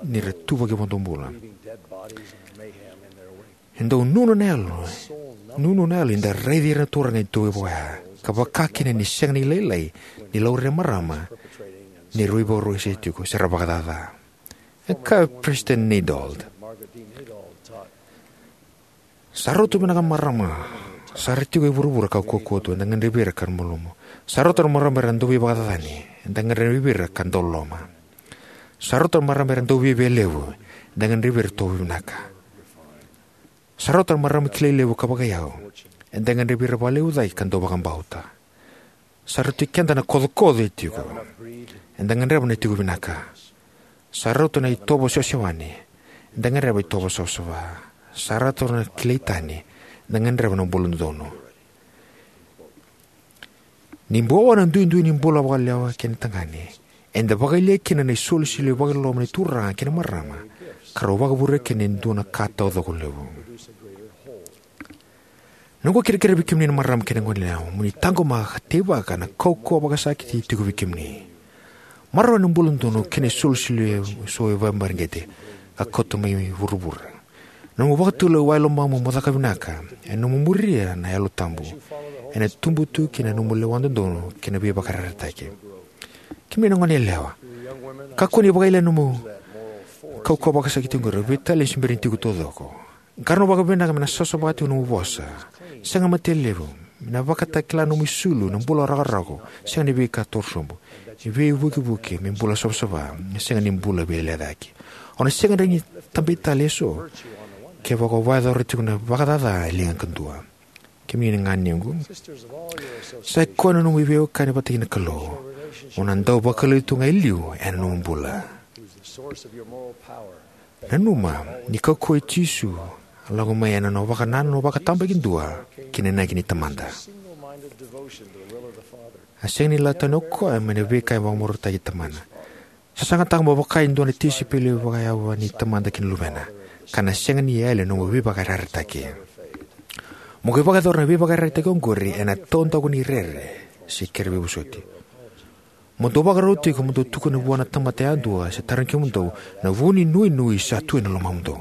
ni ra tuvaki vakabobula. E dau nunu na yalo, nunu na yalo ni da raici ira na turaga e tauvi vaya, ka vaka kina ni sega ni lailai ni laurai na marama ni ra veivakarau se tiko se ra vakacaca. E kaya o Peresitedi Neidold, sa rauta vinaka na marama sa ra tiko e vuravura ka kaukauwa tu, eda gadrevi ira ka malumu. Sa rauta na marama era dau veivakacacani, eda gadrevi ira ka dau loloma. Sa rauta na marama era dau viavialevu, eda gadrevi ira tovo vinaka. Sa rauta na marama kilai levu ka vakaiyau, eda gadrevi ira vakalevu cake ka dau vakabauta. Sa rauti keda na kocokoco e tiko, eda gadreva na tiko vinaka. Sa rauta na itovo sewasewani, eda gadreva itovo savasava. Sa rauta na kilai tani, eda gadreva na bula dodonu. Ni bau oya na duidui ni bula vakayalewa kei na tagane, eda vakayalia kina na isolisoli vakaloloma ni turaga kei na marama, ka rau vakavurea kina e dua na ka taucoko levu. Noqu kerekere vei kemuni na marama kei na goneyalewa, mo ni taqomaka ka teivaka na kaukauwa vakasakiti e tiko vei kemuni. Maroroya na bula dodonu kei na isolisoli eso e vakamareqeti ka kauta mai vuravura. Na nomu vakatulewa e lomamu mo caka vinaka, ena nomu muria na Yalo Tabu, ena tubu tu kina na nomu lewa dodonu kei na veivakayarayarataki. Kemuni na goneyalewa, kakua ni vakayalia na nomu kaukauwa vakasakiti oqori, vei tale ni se bera ni tiko taucoko. Qarauna vakavinaka me na savasava tiko na nomu vosa. Sega mada ni levu. Me na vakatakila na nomu isulu, na bula rakorako, sega ni veika torosobu. Ni veivukevuke me bula savasava, sega ni bula veilecayaki. O na sega ni tabei tale eso kevaka o vakayacora tiko na vakacaca e liga kadua. Kemuni na ganequ, sa i koya na nomu veiwekani vata kei na Kalou. O na dau vakaliuci tu ga e liu ena nomu bula. Nanuma ni kaukauwa i Jisu a lako mai ena nona vakanananu vakatabakidua ki na inaki ni Tamada. A sega ni lako tani o koya mai na veika e vakamarautaki Tamana. Sasagataka mo vaka e dua na tisaipeli vakayawa ni Tamada kei na Luvena, ka na sega ni yali na nomu veivakayarayarataki. Mo qai vakayacora na veivakayarayarataki oqori ena taudaku ni rere se kere veivosoti. Mo dau vakarau tiko mo dau tukuna vua na tamata yadua se tarogi kemudou na vu ni nuinui sa tu ena lomamudou.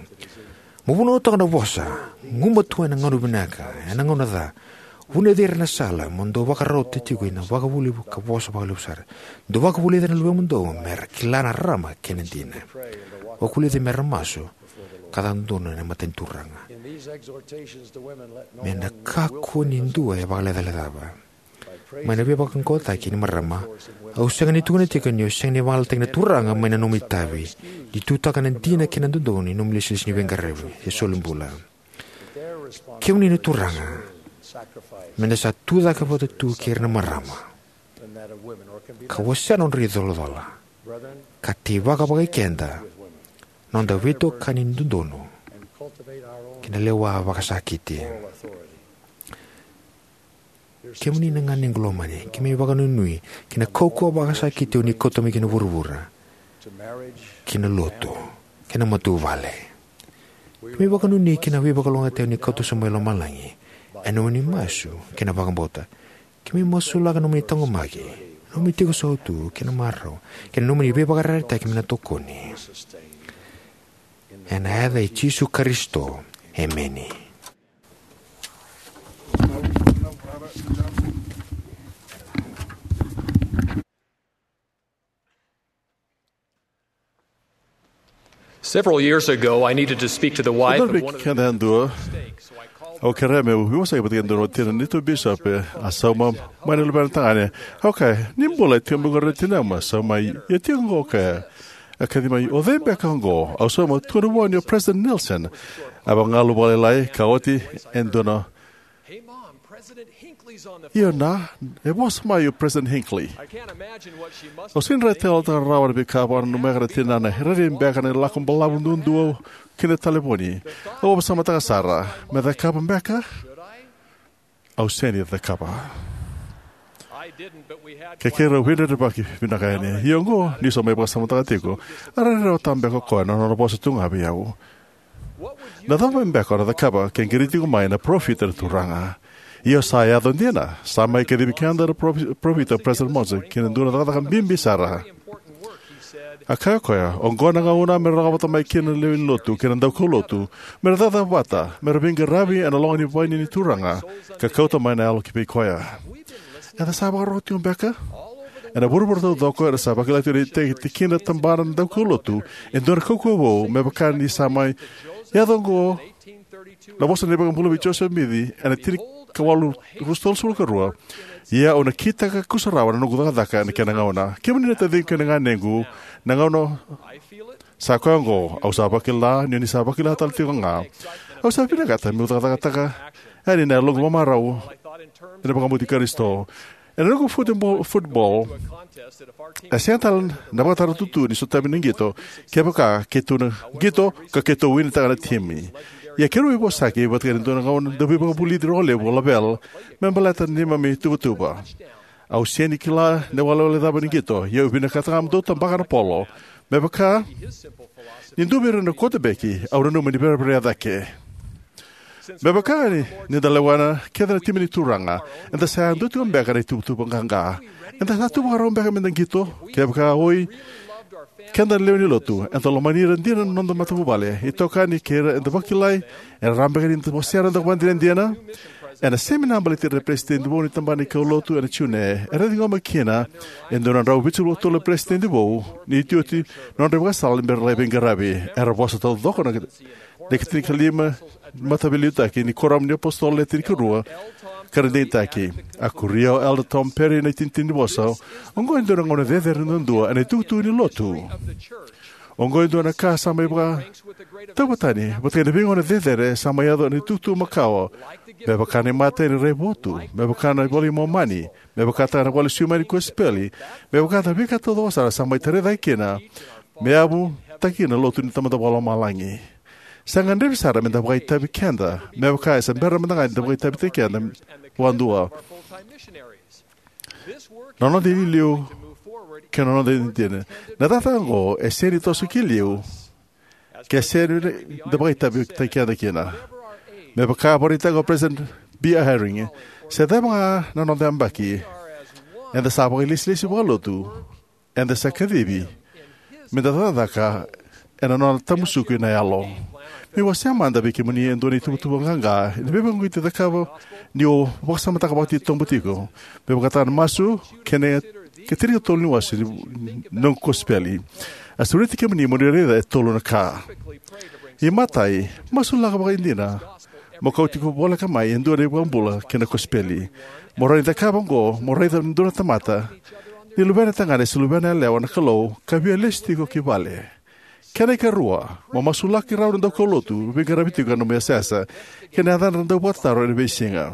Mo vunautaka na vosa, gumatua ena gauna vinaka, ena gauna ca. Vunaci ira na sala mo dou vakarauta tiko ena vakavuli ka vosa vakalevu sara. Dou vakavulica na luvemudou mera kila na rarama kei na dina. Vakavulici mera masu ka cakacaka dodonu ena mata ni Turaga. Me na kakua ni dua e vakalecalecava. Mai na veivakaqaqacotaki ni marama, au sega ni tukuna tiko ni o sega ni vagalalataki na Turaga mai na nomu itavi ni tutaka na dina kei na dodonu ni nomu ilesilesi ni veiqaravi se solibula. Kemuni na turaga, me da sa tucake vata tu kei ira na marama ka wasea na nodra icolacola, ka teivaka vakai keda na noda veitokani dodonu kei na lewa vakasakiti. Kemuni na ganequ lomani, keimami vakanuinui ki na kaukauwa vakasakiti o ni kauta mai ki na vuravura, ki na lotu, ki na matavuvale. Keimami vakanuinui ki na veivakalougatataki o ni kauta sobu mai lomalagi ena nomuni masu kei na vakabauta. Keimami masulaka na nomuni taqomaki, na nomuni tiko sautu kei na marau, kei na nomuni veivakayarayarataki me na tokoni. Ena yaca i Jisu Karisito, emeni. Several years ago, I needed to speak to the wife of one of the... Keda yadua, au kerea meu vosaki vata kei dua na watina ni neitou bisopi. A sauma mai na luvena tagane. Au kaya, "Ni bula, e tiko mai qori na tinau?" A sauma mai, "Io, tiko qo." Au kaya, a kaci mai, "O cei beka qo?" Au sauma, "Tukuna vua ni o President Nelson." A vagagalu vakalailai ka oti e dua na... "Io, Na, e vosa mai o President Hinckley." Au sega ni raitayaloyalotaka rawa na veika a vakananuma na tinana. E rairai beka na lako balavu duadua ki na talevoni. Au vakasamataka sara, "Me cakava beka? Au sega ni cakava." Keirau veidredrevaki vinaka yani. Ia oqo, niu sa mai vakasamataka tiko, a rairai rawata beka o koya na nona vosa tu ga vei au. Na cava beka o na cakava ke qiri tiko mai na parofita na Turaga? Ia sa yaco dina, sa mai kacivi keda na parofi-, parofita o President Monson ki na dua na cakacaka bibi sara. A kaya o koya, "Oqo na gauna me ra lako vata mai kina na lewe ni lotu kei na daukaulotu, me ra cakacaka vata, me ra veiqaravi ena loga ni vaini ni Turaga, ka kauta mai na yalo ki vei koya." Eda sa vakarorogo tiko beka? Ena vuravura taucoko, eda sa vakila tiko na iteki, tikina, tabana na daukaulotu e dua na kaukauwa vou, me vaka ni sa mai yaco oqo na vosa ni iVakabula vei Josefa Simici ena tinikawalu ruasagavulu ka rua. "Ia au na kitaka kusarawa na noqu cakacaka ena kena gauna." Kemuni na taciqu kei na ganequ, na gauna sa koya oqo, au sa vakila ni o ni sa vakila tale tiko ga. Au sa vinakata meu cakacakataka yani na yaloqu vamarau ena vakabauti Karisito. Ena noqu futebol, futebol, e sega tale na vakatara tutu ni sotavi na qito, kevaka keitou na qito ka keitou winitaka na timi. Ia keirau veivosaki vata kei na dua na gauna dauveivakavulici rogo levu o Lavelle me baleta na neimami ituvatuva. Au sega ni kila na iwalewale cava ni qito, ia au vinakata ga meu dau tabaka na polo. Me vaka ni dua vei ira na quarterback, au nanuma ni vereverea cake. Me vaka ni, ni da lewena kece na timi ni Turaga, eda sa yadua tiko beka na ituvatuva qaqa. Eda sa tu vakarau beka meda qito, kevaka oi keda na lewe ni lotu, eda lomani ira dina na noda matavuvale, itokani kei ira eda vakilai, era rawa beka ni da wasea na noda ivakadinadina. Ena semina a baleti ira na peresitedi vou ni tabana ni kaulotu ena June, era ciqoma kina e dua na drau vitusagavulu ka tolu na peresitedi vou ni iotioti na nodra ivakasala ni bera lai veiqaravi. Era vosa taucoko na, na ikatinikalima mataveiliutaki ni Kuoramu ni iApositolo Le Tinikarua, ka ra digitaki. A kuria o Elder Tom Perry na itinitini ni vosa, "Oqo e dua na gauna cecere duadua ena itukutuku ni lotu. Oqo e dua na ka sa mai vakatauvatani vata kei na veigauna cecere sa mai yaco ena itukutuku makawa, me vaka na imatai ni raivotu, me vaka na iVola i Momani, me vakataka na iVola Sui Mai ni Kosipeli, me vaka na veika taucoko sara sa mai tarai cake kina me yavutaki kina na lotu ni Tamada Vakalomalagi. Sa gadrevi sara meda vakaitavi keda, me vaka e se bera mada ga ni da vakaitavitaki keda vakadua, na noda iliuliu kei na noda dina. Na cakacaka oqo e sega ni toso ki liu ke sega ni da vakaitavitaki keda kina." Me vaka a vakaraitaka o President B. Eyring, se cava ga na noda yabaki, eda sa vakailesilesi vakalotu, eda sa kacivi meda cakacaka ena nona tamusuki na yalo. Meu wasea mada vei kemuni e dua na ituvatuva qaqa ena veivakauqeti cakava ni o vakasamataka vakatitobu tiko, me vakataka na masu kei na ikatinikatolu ni wase ni noqu kosipeli. A sureti kemuni mo ni raica e tolu na ka. Imatai, masulaka vakaidina mo kauti voleka mai e dua na iVakabula kei na kosipeli. Mo rawa ni cakava oqo, mo raica e dua na tamata ni luvena tagane se luvena yalewa na Kalou ka via lesu tiko ki vale. Kena ikarua, mo masulaki rau na daukaulotu veiqaravi tiko ena nomu yasayasa kei na yacadra na dauvakatataro ena veisiga.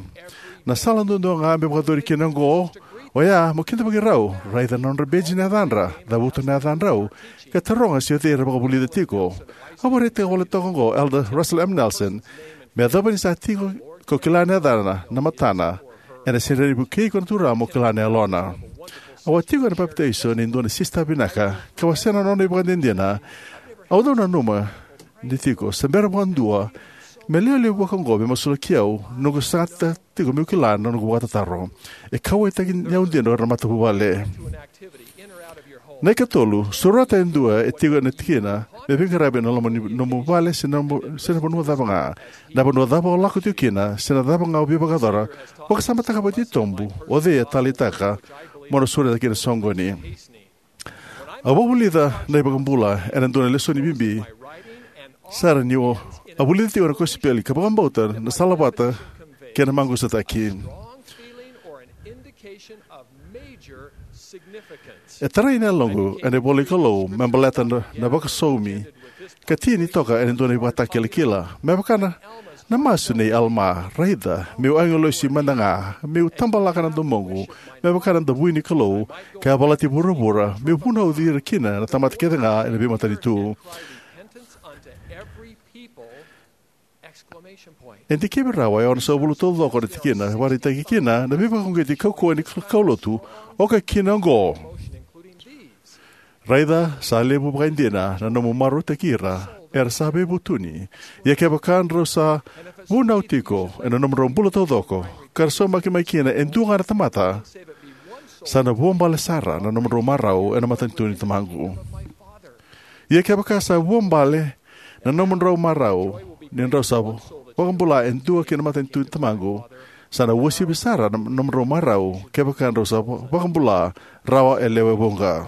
Na sala duadua ga me vakayacori kina oqo, oya mo kidavaki rau, raica na nodra beji na yacadra, cavuta na yacadrau, ka taroga se o cei era vakavulica tiko. Au vakaraitaka voleka toka oqo o Elder Russell M. Nelson, "Me yacova ni sa tiko ko kila na yacana, na matana, ena sega ni vukei iko na Turaga mo kila na yalona." Au a tiko ena papitaiso ni dua na sisita vinaka, ka wasea na nona ivakadinadina. Au dau nanuma ni tiko se bera vakadua me lewe levu vaka oqo me masulaki au, noqu saga tiko meu kila na noqu vakatataro. E kauwaitaki au dina o ira na matavuvale. Na ikatolu, surata e dua e tiko ena tikina me veiqaravi ena loma ni nomu vale se na nomu, se na vanua cava ga. Na vanua cava o lako tiko kina, se na cava ga o veivakayacora, vakasamataka vakatitobu o cei e taleitaka mo na sureta kina na soqoni. Au vakavulica na iVakabula ena dua na lesoni bibi sara niu a vulica tiko na kosipeli ka vakabauta na salavata kei na maqusataki. E tarai na yaloqu ena ivola ni Kalou me baleta na, na vakasaumi ka tini toka ena dua na ivakatakilakila. Me vaka na, na masu nei Alama, raica, meu agilosi mada ga, meu tabalaka na domoqu me vaka na davui ni Kalou, ka yavalati vuravura, meu vunauci ira kina na tamata kece ga ena veimatanitu. E dikevi rawa e onosagavulu taucoko na tikina, vakaraitaki kina na veivakauqeti kaukauwa ni kaulotu, oka kina oqo. Raica, sa levu vakaidina na nomu marautaki ira era sa veivutuni. Ia kevaka drau sa vunau tiko ena nomudrau bula taucoko, ka ra saumaki mai kina e dua ga na tamata, sa na vuabale sara na nomudrau marau ena matanitu ni Tamaqu. Ia kevaka sa vuabale na nomudrau marau ni drau sa vakabula e dua ki na matanitu ni Tamaqu, sa na uasivi sara na nomudrau marau kevaka drau sa vakabula rawa e lewe vuqa.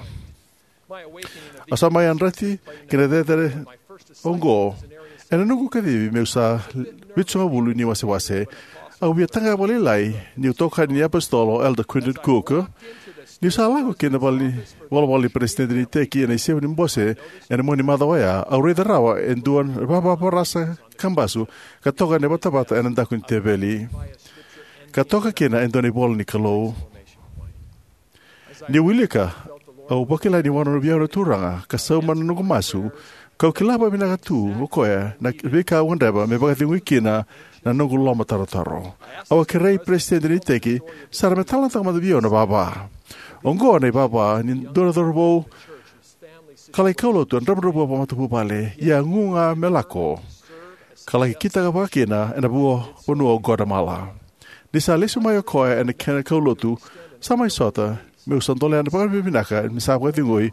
Au sa mai yadrati ki na cecere oqo ena noqu kacivi meu sa vitusagavulu ni wasewase. Au via taqaya vakalailai niu tokani ni apositolo o Elder Quentin Cook. Niu sa lako ki na vale, volavola ni peresitedi ni iteki ena isevu ni bose ena mua ni macawa oya, au raica rawa e dua na ivavavarasa kabasu ka toka ena vatavata ena daku ni teveli, ka toka kina e dua na ivola ni Kalou. Niu wilika, au vakila ni wanonovi au na Turaga ka sauma na noqu masu, kau kila vakavinaka tu o koya na veika au gadreva me vakacegui kina na noqu lomatarotaro. Au a kerei peresitedi ni iteki sara me talanoataka mada vei au na ivava. Oqo na ivava ni dua na cauravou ka lai kaulotu ena dravudravua vakamatavuvale, ia a gu ga me lako ka laki kitaka vakakina ena vanua o Guatemala. Ni sa lesu mai o koya ena kena kaulotu, sa mai sota meu sa dolea na vakavinavinaka me sa vakacegui,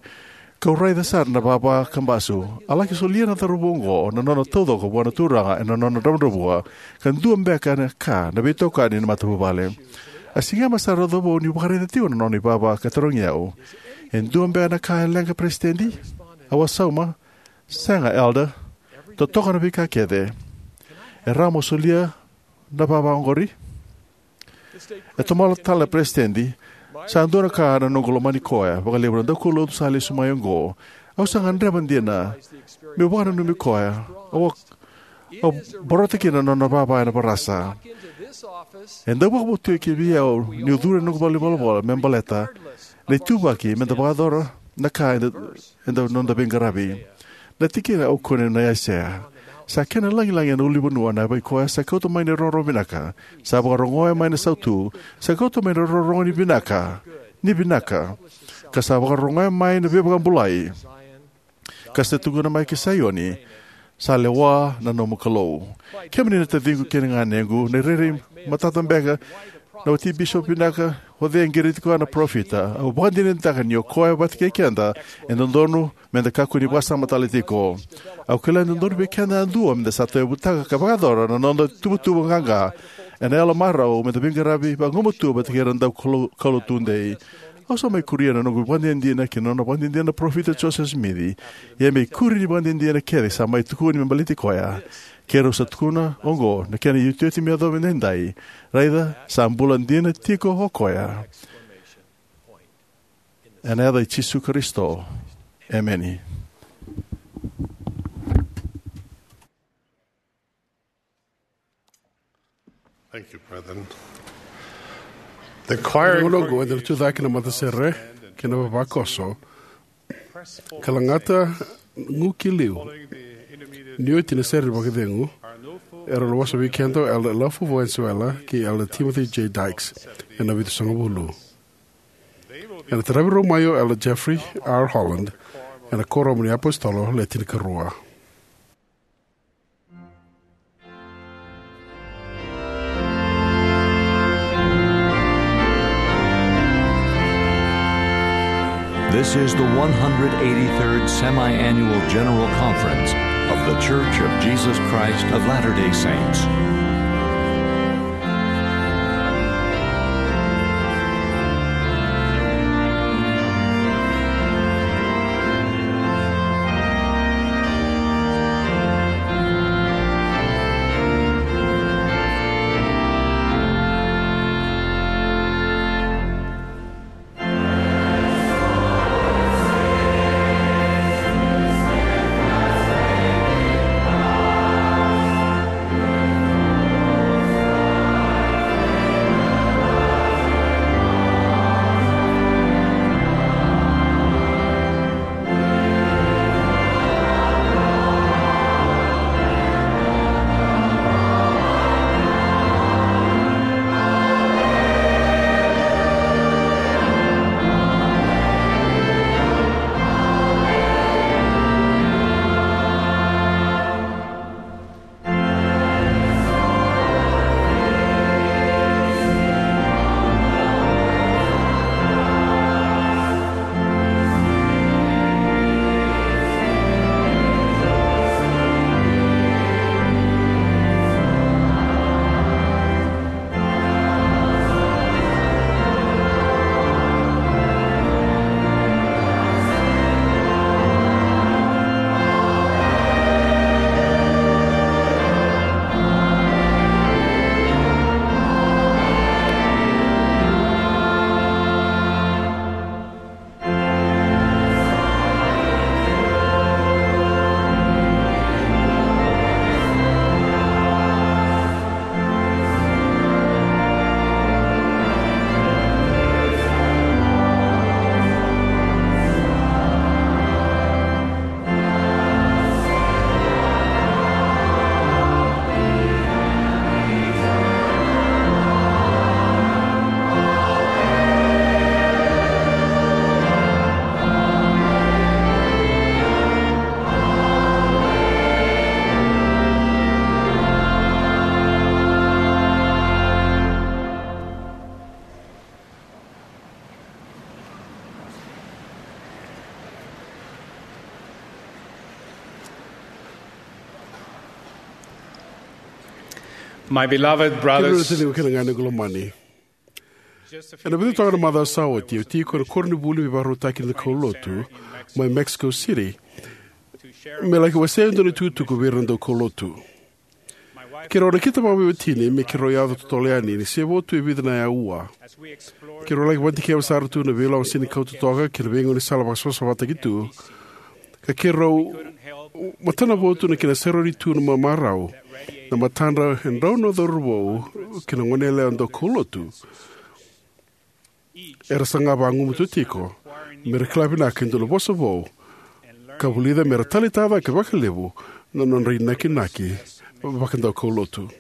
kau raica sara na ivava kabasu. A laki solia na cauravou oqo na nona taucoko vua na Turaga ena nona dravudravua, ka dua beka na ka na veitokani ni matavuvale. A sigema sara na cauravou niu vakaraica tiko na nona ivava ka tarogi au, "E dua beka na ka e leqa, Peresitedi?" Au a sauma, "Sega, Elder. Totoka na veika kece. E rawa mo solia na ivava oqori?" E tomala tale na peresitedi, "Sa dua na ka na noqu lomani koya vakalevu na daukaulotu sa lesu mai oqo. Au sa gadreva dina meu vakananumi koya. Au a, au a borota kina na nona ivava ena varasa." E dau vakavotuya vei au niu curu ena noqu valenivolavola me baleta na ituvaki me da vakayacora na ka eda, eda noda veiqaravi. Na tikina au kunea na Aisea. Sa kena lagilagi ena ulunivanua na yavai koya sa kauta mai na irogorogo vinaka, sa vakarogoya mai na sautu, sa kauta mai na rorogo ni vinaka, ni vinaka, ka sa vakarogoya mai na veivakabulai, ka sa tukuna mai ki Saioni, "Sa lewa na nomu Kalou." Kemuni na taciqu kei na ganequ, na irairai matata beka na wati bisopi vinaka, o cei e qiriti koya na parofita. Au vakadinadinataka ni o koya vata kei keda e dodonu me da kakua ni vakasama tale tiko. Au kila e dodonu vei keda yadua me da sa tauyavutaka ka vakayacora na noda ituvatuva qaqa ena yalo marau me da veiqaravi vagumatua vata kei ira na daukaulotu tudei. Au sa mai kuria na noqu vakadinadina ki na nona vakadinadina na parofita Josefa Simici. Ia me ikuri ni vakadinadina kece sa mai tukuni me baleti koya, keirau sa tukuna oqo na kena iotioti me yacova edaidai. Raica, sa bula dina tiko o koya. Ena yaca i Jisu Karisito. Emeni. Thank you, brethren. The choir. Ena gauna oqo eda na tucake na matasere kei na vavakoso ka lagata gu ki liu. Ni oti na sere ni vakacegu, era na vosa vei keda o Elder Lafu Valenzuela kei Elder Timothy J. Dykes ena vitusagavulu. Ena taravi rau mai o Elder Jeffrey R. Holland ena Kuoramu ni iApositolo Le Tinikarua. This is the one hundred eighty-third Semi-Annual General Conference of The Church of Jesus Christ of Latter-day Saints. My beloved brothers, kei na kena gane qolomani. Ena vica toka na macawa sa oti, au tiko ena koronivuli me vakarautaki na kaulotu mai Mexico City, me laki wasea e dua na itukutuku vei ira na daukaulotu. Keirau a nakita vakaveitini me keirau yaco totolo yani ni se vo tu e vica na aua. Keirau laki vakadikeva sara tu na veiilavo senikau totoka kei na veigaunisala vakasavasavataki tu, ka keirau matanavotu na kena serauni tu na mamarau na matadra e drau na cauravou kei na goneyalewa daukaulotu era saga vagumatua tiko me ra kila vinaka e dua na vosa vou ka vulica me ra taleitaka cake vakalevu na nodra inakinaki vakadaukaulotu.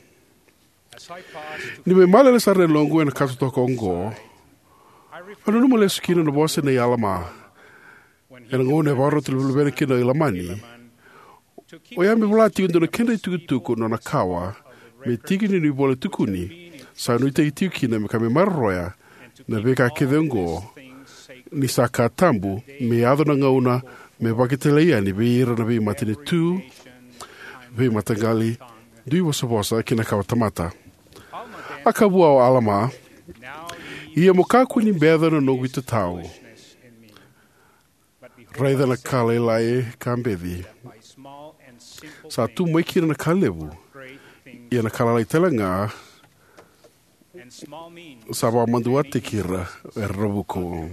Ni mai malele sara na yaloqu ena ka totoka oqo, au nanuma lesu kina na vosa nei Alama. Ena gauna e vakarota luvena kina o Ilamani, oya me vola tiko e dua na kedra itukutuku na nona kawa me tiki ni nona ivola tukuni, sa nuitaki tiko kina me ka me maroroya na veika kece oqo, ni sa ka tabu me yaco na gauna me vakatalai yani vei ira na veimatanitu, veimataqali, dui vosavosa kei na kawa tamata. A kaya vua o Alama, ia mo kakua ni beca na noqu itatau. Raica na ka lailai ka beci. Sa tu mai kina na ka levu, ia na ka lalai tale ga sa vakamaduataki ira era na vuku.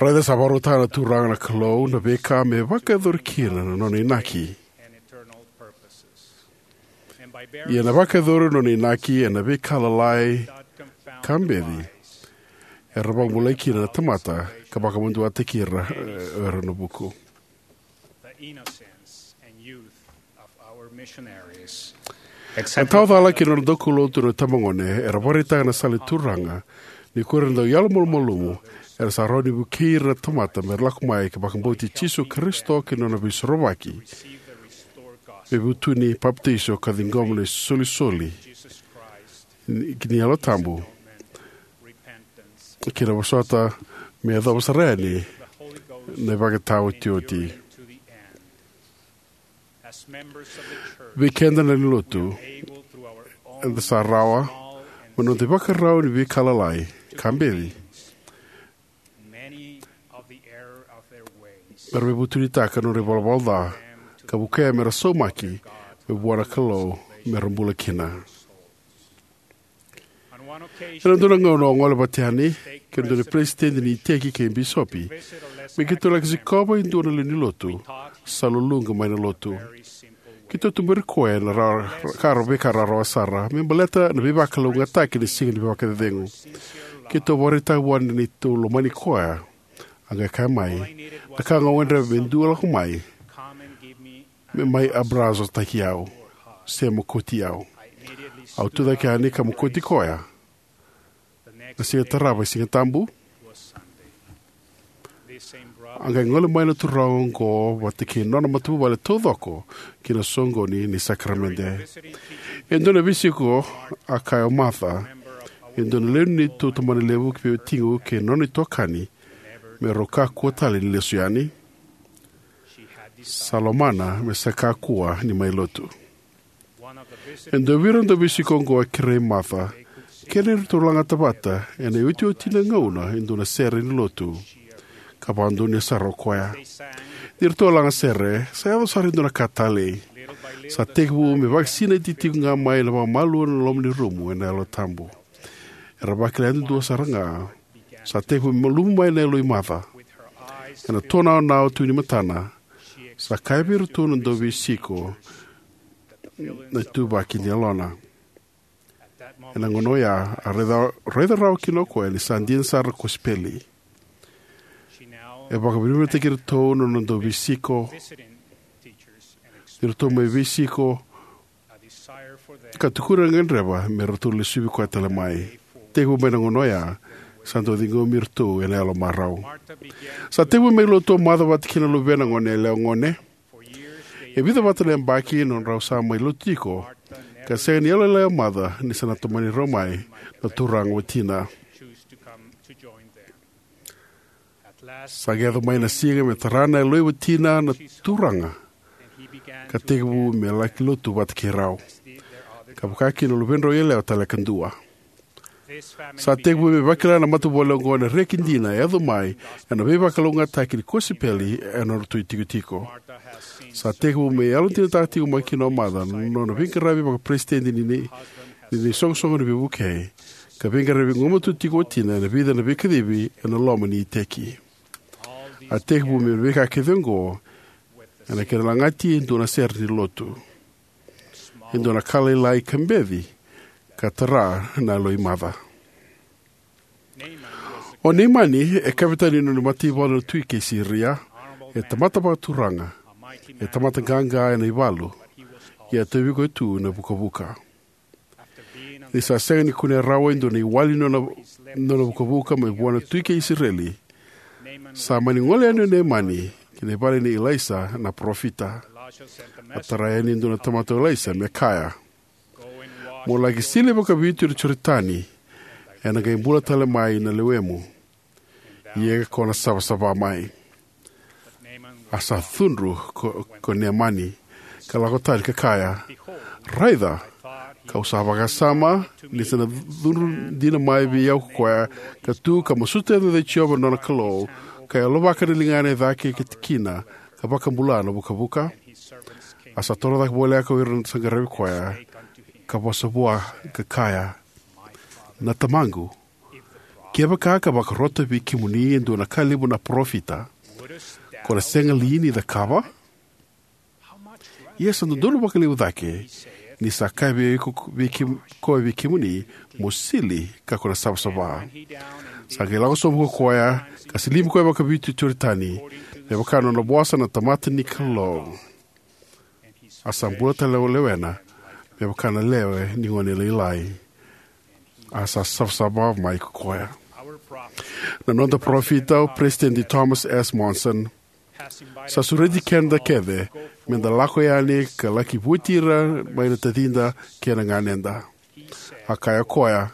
Raica sa vakarautaka na Turaga na Kalou na veika me vakayacori kina na nona inaki. Ia na vakayacori na nona inaki ena veika lalai ka beci, era vakabulai kina na tamata ka vakamaduataki ira, e, era na vuku. A tawa cala kei na nona daukaulotu na itabagone era vakaraitaka na sala ni Turaga, ni ko ira na dau yalomalumalumu era sa rawa ni vukei ira na tamata me ra lako mai ka vakabauti Jisu Karisito kei na nona veisorovaki, veivutuni, papitaiso ka ciqoma na isolisoli ni Yalo Tabu, kei na vosota me yacova sara yani na ivakataotioti. Vei keda na lewe ni lotu, eda sa rawa, me noda ivakarau ni veika lalai ka beci, mera veivutunitaka na nodra ivalavala ca ka vukea mera saumaki me vua na Kalou mera bula kina. Ena dua na gauna au a gole vata yani kei na dua na peresitedi ni iteki kei bisopi me keitou laki sikova e dua na lewe ni lotu sa luluqa mai na lotu. Keitou tuberi koya ena ra, ra, ka ra, veika rarawa sara me baleta na veivakalougatataki ni Siga ni Vakacecegu. Keitou vakaraitaka vua ni neitou lomani koya. A qai kaya mai na ka ga au gadreva me dua lako mai, me mai abrazotaki au se mokoti au. Au tucake yani ka mokoti koya. Na siga tarava e Siga Tabu, a qai gole mai na turaga oqo vata kei nona matavuvale taucoko ki na soqoni ni sakaramede. E dua na veisiko, a kaya o Martha, e dua na lewe ni neitou tabanalevu kei vei tiko kei na nona itokani, me rau kakua tale ni lesu yani. Sa lomana me sa kakua ni mai lotu. E dua vei ira na dauveisiko oqo a kerei Martha ke ni ratou lagata vata ena iotioti ni gauna e dua na sere ni lotu, ka vakadonuya sara o koya. Ni ratou a laga sere, sa yaco sara e dua na ka talei. Sa tekivu me vakasinaiti tiko ga mai na vakamalua na loma ni rumu ena Yalo Tabu. Era vakila yadudua sara ga. Sa tekivu me malumu mai na yaloi Martha. Ena tonaonao tu ni matana, sa kaya vei iratou na dauveisiko na ituvaki ni yalona. Ena gauna oya, a raica, raica rawa kina o koya ni sa dina sara na kosipeli. E vakavinavinakataki iratou na nona dauveisiko ni ratou mai veisiko ka tukuna na gadreva me ratou lesuvi koya tale mai. Tekivu mai na gauna oya, sa dau ciqomi iratou ena yalo marau. Sa tekivu mai lotu o Martha vata kei na luvena gone yalewa gone. E vica vata na yabaki na nodrau sa mai lotu tiko, ka sega ni yalolailai o Martha ni sa na tomani rau mai na turaga watina. Sa qai yaco mai na siga me tara na yaloi watina na turaga, ka tekivu me laki lotu vata kei rau, ka vaka kina na luvedrau yalewa tale kadua. Sa tekivu me vakila na matavuvale oqo na reki dina e yaco mai ena veivakalougatataki ni kosipeli ena nodratou itikotiko. Sa tekivu me yalodinataka tiko mai kina o Martha na nona veiqaravi vakaperesitedi ni, ni, ni iSoqosoqo ni Veivukei, ka veiqaravi gumatua tiko o watina ena vica na veikacivi ena loma ni iteki. A tekivu me veika kece oqo ena kena lagati e dua na sere ni lotu, e dua na ka lailai ka beci, ka tara na yaloi Martha. O Neimani e kavetani ni nona mataivalu na tui kei Siria, e tamata vakaturaga, e tamata qaqa ena ivalu, ia a tauvi koya tu na vukavuka. Ni sa sega ni kunea rawa e dua na iwali ni nona, nona vukavuka mai vua na tui kei Isireli, sa mani gole yani o Neimani ki na vale nei Ilaisa na parofita. A tara yani e dua na tamata o Ilaisa me kaya, "Mo laki sili vakavitu na Joritani, ena qai bula tale mai na lewemu, ia ko na savasava mai." A sa cudru ko, ko Neimani, ka lako tani ka kaya, "Raica, kau sa vakasama ni sa na cudru dina mai vei au ko koya, ka tu ka masuta e yaca i Jiova na nona Kalou, ka yalovaka na ligana e cake kina, ka vakabula na vukavuka." A sa torocake voleka o ira sa qaravi koya, ka vosa vua ka kaya, "Na tamaqu, kevaka ka vakarota vei kemuni e dua na ka levu na parofita, ko na sega li ni cakava? Ia sa dodonu vakalevu cake ni sa kaya vei iko, vei kem-, koya vei kemuni, mo sili ka ko na savasava." Sa qai lako sobu ko koya, ka silibi koya vakavitu i Joritani, me vaka na nona vosa na tamata ni Kalou. A sa bula tale o lewena, me vaka na lewe ni gone lailai. A sa savasava mai ko koya. Na noda parofita, o Peresitedi Thomas S. Monson, sa sureti keda kece meda lako yani ka laki vueti ira mai na tacida kei na ganeda. A kaya o koya,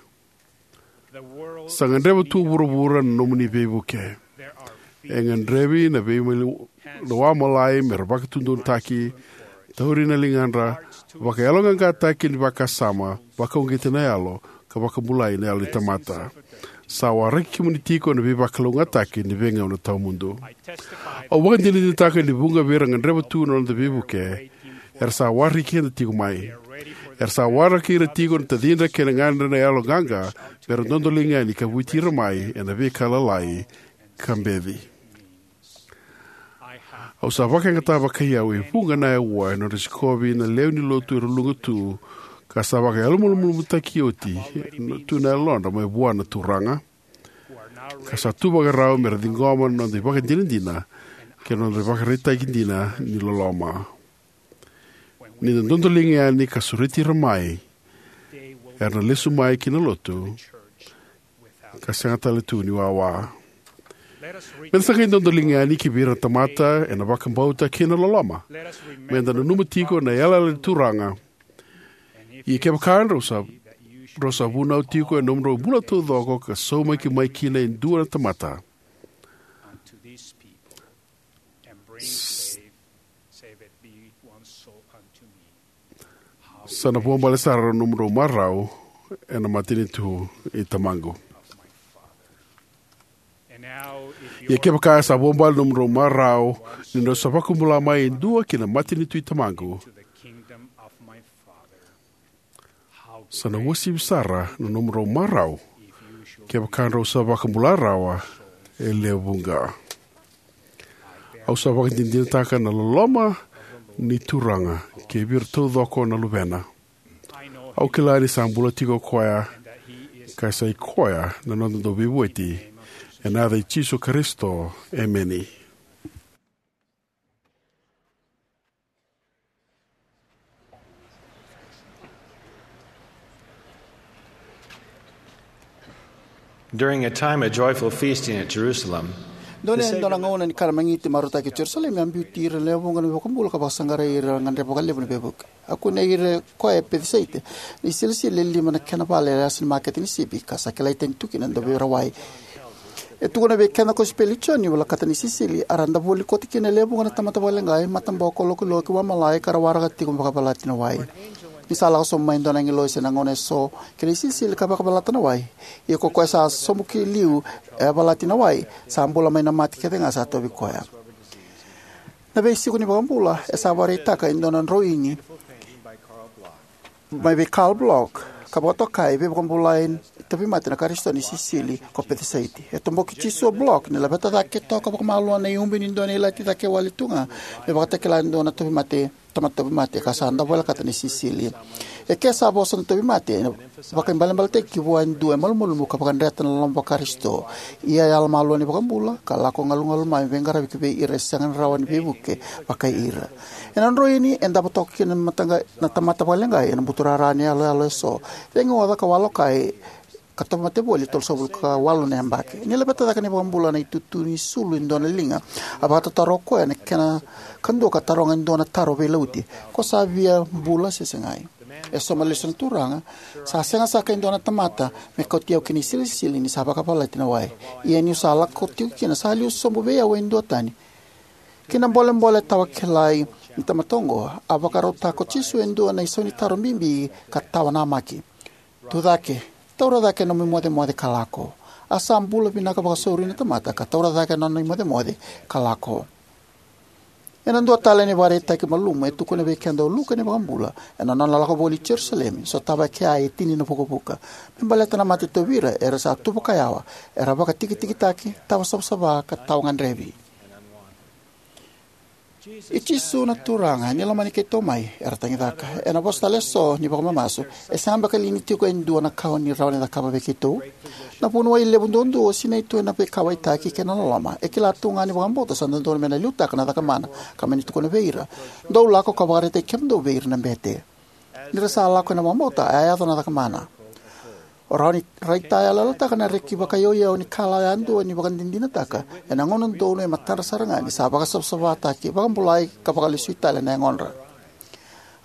Sa gadreva tu o vuravura na nomuni veivuke. E gadrevi na veimaliwai, na wa malai me ra vakatudunutaki, tauri na ligadra, vakayaloqaqataki ni vakasama, vakauqeti na yalo, ka vakabulai na yalo ni tamata. Sa waraki kemuni tiko na veivakalougatataki ni veigauna tawamudu. Au vakadinadinataka ni vuqa vei ira gadreva tu na noda veivuke, era sa waraki keda tiko mai. Era sa waraki ira tiko na tacidra kei na gadra na yaloqaqa, me ra dodoliga yani ka vueti ira mai ena veika lalai ka beci. Au sa vakayagataka vakaiau e vuqa na aua ena nodra sikovi na lewe ni lotu era luqa tu, ka sa vakayalomalumalumutaki oti tu na yalodra mai vua na Turaga, ka sa tu vakarau me ra ciqoma na noda ivakadinadina kei na noda ivakaraitaki dina ni loloma. Ni da dodoliga yani ka sureti ira mai, era na lesu mai ki na lotu ka sega tale tu ni wawa. Me da sa qai dodoliga yani ki vei ira na tamata ena vakabauta kei na loloma. Me da nanuma tiko na yalayala ni Turaga: Ia kevaka drau sa, drau sa vunau tiko ena nomudrau bula taucoko ka saumaki mai kina e dua na tamata, sa na vuabale sara na nomudrau marau ena matanitu i Tamaqu. Ia kevaka sa vuabale na nomudrau marau ni drau sa vakabula mai e dua ki na matanitu i Tamaqu, sa na uasivi sara na nomudrau marau kevaka drau sa vakabula rawa e lewe vuqa. Au sa vakadinadinataka na loloma ni Turaga kei vei ira taucoko na luvena. Au kila ni sa bula tiko o koya, ka sa i koya na noda Dauveivueti. Ena yaca i Jisu Karisito, emeni. During a time of joyful feasting at Jerusalem, dua na, dua na gauna ni kana magiti marautaki e Jerusalemi, a biuti ira na lewe vuqa na iVakabula ka vakasaqarai ira era gadreva vakalevu na veivuke. A kunei ira o koya e Pecisaita, na isilisili e lima na kena vale e yasa ni makete ni sipi, ka sa kilai tani tu kina na Dauveirawai. E tukuna vei keda na kosipeli i Joni, volakata na isilisili, a ra davoli koto kina e lewe vuqa na tamata vakaleqai, mataboko, lokiloki, wa malai, ka ra waraka tiko me vakayavalati na wai. Ni sa lako sobu mai e dua na agilosi ena gauna eso ki na isilisili ka vakayavalata na wai, ia ko koya sa sobu ki liu e yavalati na wai, sa bula mai na mate kece ga sa tauvi koya. Na veisiko ni iVakabula e sa vakaraitaka e dua na droini mai vei Carl Bloch, ka vakatokai Veivakabulai ni Tauvimate na Karisito ni Isilisili ko Pecisaita. E toboki Jisu o Bloch ni laveta cake toka vakamalua na iubi ni dua na ilati cake wale tu ga me vakatakila e dua na tauvimate, tamata tauvimate, ka sa dau volekata na isilisili. E ke sa vosa na tauvimate, e vakaibalebaletaki vua e dua e malumalumu ka vakadreta na loloma vaKarisito. Ia e yalomalua na iVakabula ka lako galugalu mai me veiqaravi ki vei ira e sega ni rawa ni veivuke vakai ira. Ena droini e davo toka kina na mataqa-, na tamata vakaleqai ena buturara ni yaloyalo eso. Veigauna ka walokai ka tauvimate voli e tolusagavulu ka walu na yabaki. Ni laveta cake na iVakabula na itutu ni sulu e dua na liga, a vakatataro o koya na kena kadua ka taroga e dua na taro veilauti: Ko sa via bula se segai? E sauma lesu na Turaga: Sa sega saka e dua na tamata me kauti au ki na isilisili ni sa vakayavalati na wai. Ia niu sa lako tiko kina, sa liu sobu vei au e dua tani. Ki na bolebole tawa kilai ni tamata oqo, a vakarautaka ko Jisu e dua na isaunitaro bibi ka tawa namaki: Tucake, taura cake na nomu imocemoce ka lako. A sa bula vinaka vakasauri na tamata ka taura cake na nona imocemoce ka lako. Ena dua tale na ivakaraitaki malumu e tukuna vei keda o Luke na iVakabula ena nona lako voli i Jerusalemi, sotava e kea e tini na vukavuka. Me baleta na mate tauvi ira, era sa tu vakayawa, era vakatikitikitaki, tawa savasava, ka tawa gadrevi. I Jisu na Turaga ni lomani keitou mai, era tagicaka. Ena vosa tale eso ni vakamamasu, e sega beka li ni tiko e dua na ka o ni rawa ni cakava vei keitou? Na vuniwai levu duadua, o sinai tu ena veikauwaitaki kei na loloma, e kila tu ga ni vakabauta sa dodonu me na liutaka na cakamana, ka me na tukuna vei ira: Dou lako ka vakaraitaki kemudou vei ira na bete. Ni ra sa lako ena vakabauta, a yaco na cakamana. O rawa ni raitayaloyalotaka na reki vakayauyau ni kalawa yadua ni vakadinadinataka ena gauna donu e matadra sara ga ni sa vakasavasavataki, vakabulai, ka vakalesui tale na yagodra.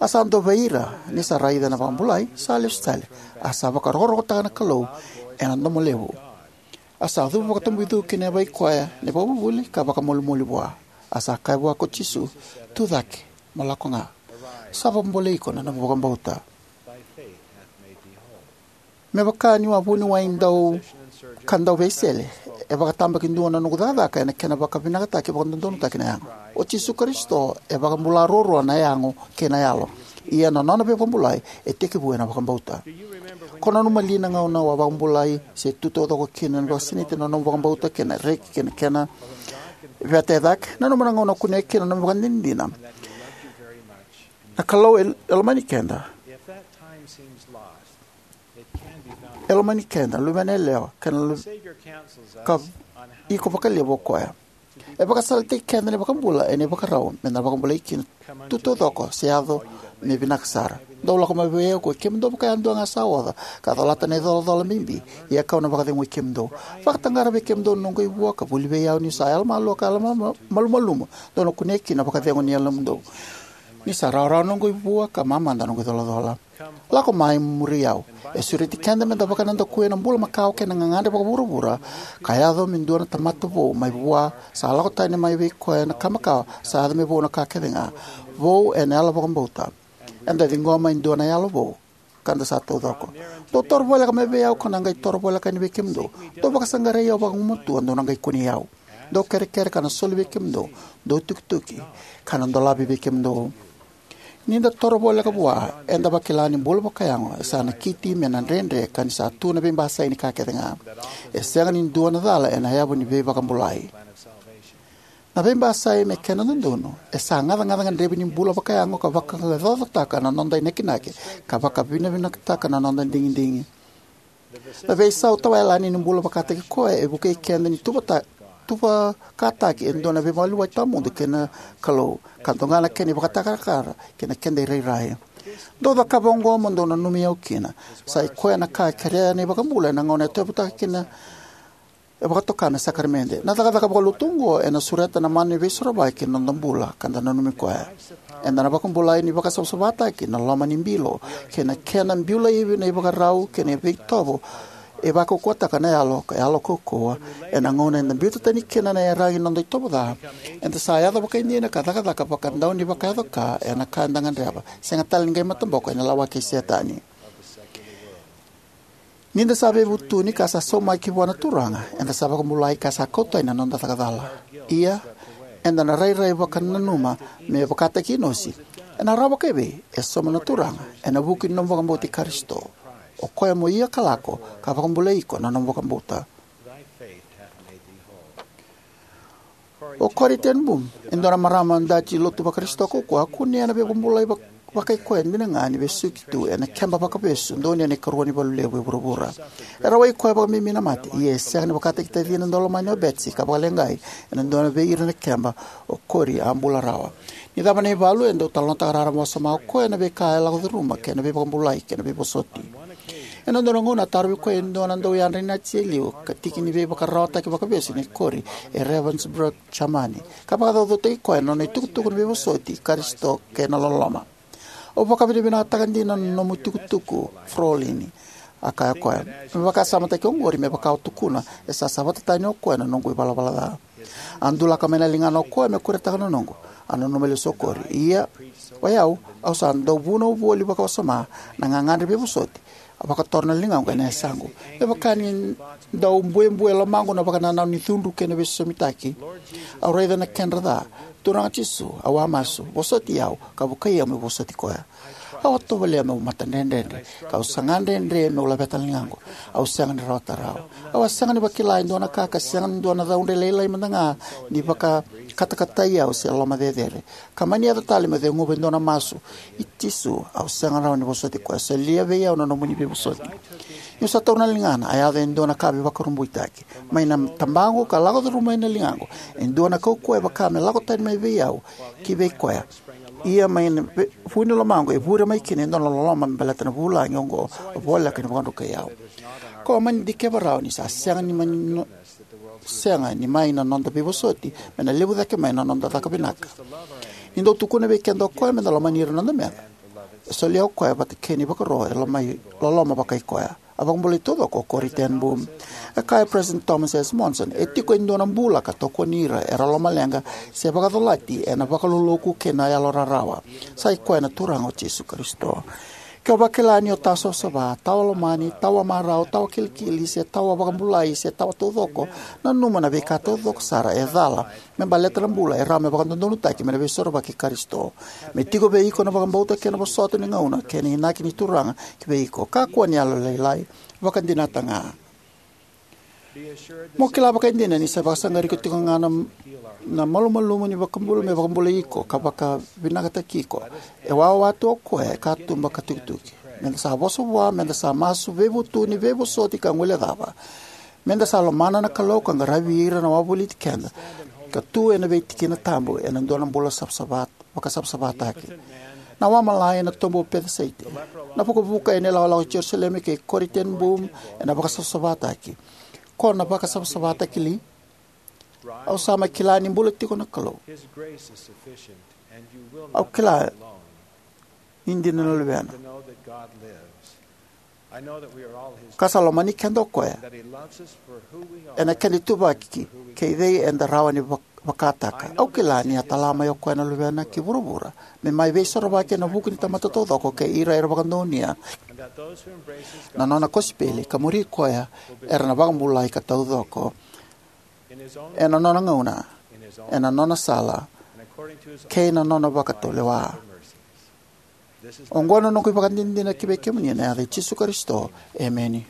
A sa dua vei ira, ni sa raica na vakabulai, sa lesu tale, a sa vakarokorokotaka na Kalou ena domo levu. A sa cuva vakatabui cu kina vei koya na ivakavuvuli ka vakamolimoli vua. A sa kaya vua ko Jisu, "Tu cake, mo lako ga. Sa vakabulai iko na nomu vakabauta." Me vaka niu a vuniwai dau ka dau veisele, e vakatabakidua na noqu cakacaka ena kena vakavinakataki vakadodonutaki na yago. O Jisu Karisito e vakabula ruarua na yago kei na yalo. Ia na nona veivakabulai e tekivu ena vakabauta. Ko nanuma li na gauna au a vakabulai se tu taucoko kina ni vakasinaiti na nomu vakabauta kei na reki kei na kena veta e cake? Nanuma na gauna o kunea kina na nomu ivakadinadina. Na Kalou e, e lomani keda. E lomani keda, luvena yalewa, kei na lu-, ka iko vakalevu o koya. E vakasalataki keda na iVakabula ena ivakarau me na vakabulai kina tu taucoko se yaco me vinaka sara. Dou lako mai vei au, ko kemudou vakayadua ga sa oca ka colata na icolacola bibi, ia kau na vakacegui kemudou. Vakataqara vei kemudou na noqu ivua ka vuli vei au, niu sa yalomalua ka yalomalumalumu, dou na kunea kina na vakacegu ni yalomudou. Ni sa rawarawa na noqu ivua ka mamada na noqu icolacola. Lako mai, muri au. E sureti keda me da vakanadakuya na bula makawa kei na gagadre vakavuravura, ka yaco me dua na tamata vou mai vua, sa lako tani mai vei koya na ka makawa, sa yaco me vou na ka kece ga. Vou ena yalo vakabauta. Eda ciqoma e dua na yalo vou, ka da sa taucoko. Dou toro voleka mai vei au, kau na qai toro voleka yani vei kemudou. Dou vakasaqarai au vakagumatua, dou na qai kunei au. Dou kerekere, ka na soli vei kemudou. Dou tukituki, ka na dolavi vei kemudou. Ni da toro voleka vua, eda vakila ni bula vakayago e sa nakiti me na dredre ka ni sa tu na veibasai ni ka kece ga. E sega ni dua na cala ena yavu ni veivakabulai. Na veibasai me kena dodonu e sa gacagaca gadrevi ni bula vakayago ka vakaqaqacotaka na noda inakinaki ka vakavinavinakataka na noda digidigi. Na veisau tawayalani ni bula vakataki koya e vukei keda ni tuvata-, tuvakataki e dua na veimaliwai tawamudu kei na Kalou, ka doga na kena ivakatakarakara kei na keda irairai. Dou cakava oqo mo dou nanumi au kina. Sa i koya na ka e kerea na iVakabula ena gauna e tauyavutaka kina, e vakatoka me sakaramede. Na cakacaka vakalotu oqo ena sureta na mana ni Veisorovaki ena noda bula, ka da nanumi koya. Eda na vakabulai ni vakasavasavataki na loma ni bilo, kei na kena biu laivi na ivakarau kei na veitovo e vakaukauwataka na yalo, ka yalo kaukauwa. Ena gauna eda biuta tani kina na iyaragi ni noda itovo ca, eda sa yaco vakaidina ka cakacaka vakadaunivakayaco ka ena ka eda gadreva. Sega tale ni qai mataboko ena lawaki i Setani. Ni da sa veivutuni ka sa saumaki vua na Turaga, eda sa vakabulai ka sa kau tani na noda caka cala. Ia, eda na rairai vakananuma me vakataki Inosi. Ena rawa vakaevei? E sauma na Turaga ena vuku ni nomu vakabauti Karisito. O koya mo ia ka lako, ka vakabulai iko na nomu vakabauta. O Corrie ten Boom, e dua na marama Daji Lotu Vakarisito kaukaua, a kunea na veivakabulai vak-, vakaikoya dina ga ni vesuki tu ena keba vakavesu donuya na ikarua ni valu levu e vuravura. E rawai koya vakabibi na mate, ia e sega ni vakataki tacina daulomani o Betsie ka vakaleqai ena dua vei ira na keba. O Corrie a bula rawa. Ni cava na ivalu, e dau talanoataka raraba wasoma o koya na veika e lako curuma kei na veivakabulai kei na veivosoti. Ena dua na gauna a tarovi koya e dua na dauyadra ni Nazi e liu, ka tiki ni veivakararawataki vakavesu nei Corrie e Ravensbrück, Jamani, ka vakacaucautaki koya na nona itukutuku ni veivosoti i Karisito kei na loloma. Au vakavinavinakataka dina na nomu itukutuku, Fraulein, a kaya o koya. Me vakasamataki oqori, me vaka au tukuna, e sa savata tani o koya na noqu ivalavala ca. A dulaka mai na ligana o koya me kuretaka na noqu. A nanuma lesu o Corrie. Ia, o yau, au sa dau vunau voli vakawasoma na gagadre veivosoti. A vakatora na ligaqu ena yasaqu. Me vaka ni dau buebue e lomaqu na vakanananu ni cudru kei na veisosomitaki. Au raica na kedra ca. Turaga Jisu, au a masu, vosoti au, ka vukei au meu vosoti koya. Au a tovolea meu matadredredre, ka au saga dredre meu laveta na ligaqu. Au sega ni rawata rawa. Au a sega ni vakila e dua na ka ka sega ni dua na caudre lailai mada ga ni vakakatakatai au se loma cecere. Ka mani yaco tale meu ceguva e dua na masu. I Jisu, au sega rawa ni vosoti koya. Solia vei au na nomuni veivosoti. Niu sa taura na ligana, a yaco e dua na ka veivakurabuitaki. Mai na tabaqu ka lako curuma ina ligaqu e dua na kaukauwa e vaka me lako tani mai vei au ki vei koya. Ia mai na ve-, vu ni lomaqu e vure mai kina e dua na loloma me baleta na vulagi oqo, voleka ni vakadrukai au. Ko a mani dikeva rawa ni sa sega ni mani no-, sega ni mai na noda veivosoti me na levu cake mai na noda caka vinaka. Ni dau tukuna vei keda o koya me da lomani ira na noda meca, e solia o koya vata kei na ivakaro e lomai, loloma vakaikoya. A vakabulai taucoko o Corrie ten Boom. E kaya o President Thomas S. Monson, e tiko e dua na bula ka tokoni ira era lomaleqa se vakacolati ena vakaloloku kei na yalo rarawa. Sa i koya na Turaga o Jisu Karisito. Ke o vakila ni o tawa savasava, tawa lomani, tawa marau, tawa kilikili, se tawa vakabulai, se tawa taucoko, nanuma na veika taucoko sara e cala me baleta na bula e rawa me vakadodonutaki mai na Veisorovaki i Karisito. Me tiko vei iko na vakabauta kei na vosota ni gauna kei na inaki ni Turaga ki vei iko. Kakua ni yalolailai, vakadinata ga. Mo kila vakaidina ni sa vakasaqari iko tiko ga na, na malumalumu ni Vakabula me vakabulai iko ka vakavinakataki iko. E wawa tu o koya e katuba ka tukituki. Meda sa vosa vua, meda sa masu, veivutuni, veivosoti ka guilecava. Meda sa lomana na Kalou ka qaravi ira na wavoliti keda, ka tu ena veitikina tabu ena dua na bula savasava, vakasavasavataki. Na wamalai ena tobu o Peciseita, na vukavuka ena ilakolako i Jerusalemi kei Corrie ten Boom ena vakasavasavataki. Ko na vakasavasavataki li? Au sa mai kila ni bula tiko na Kalou. Au kila ni dina na Luvena. Ka sa lomani keda o koya ena keda ituvaki kei cei eda rawa ni vak-, vakataka. Au kila ni a tala mai o koya na Luvena ki vuravura me mai veisorovaki ena vuku ni tamata taucoko kei ira era vakadonuya na nona kosipeli ka muri koya era na vakabulai ka taucoko ena nona gauna, ena nona sala, kei na nona vakatulewa. Oqo na noqu ivakadinadina ki vei kemuni ena yaca i Jisu Karisito. Emeni.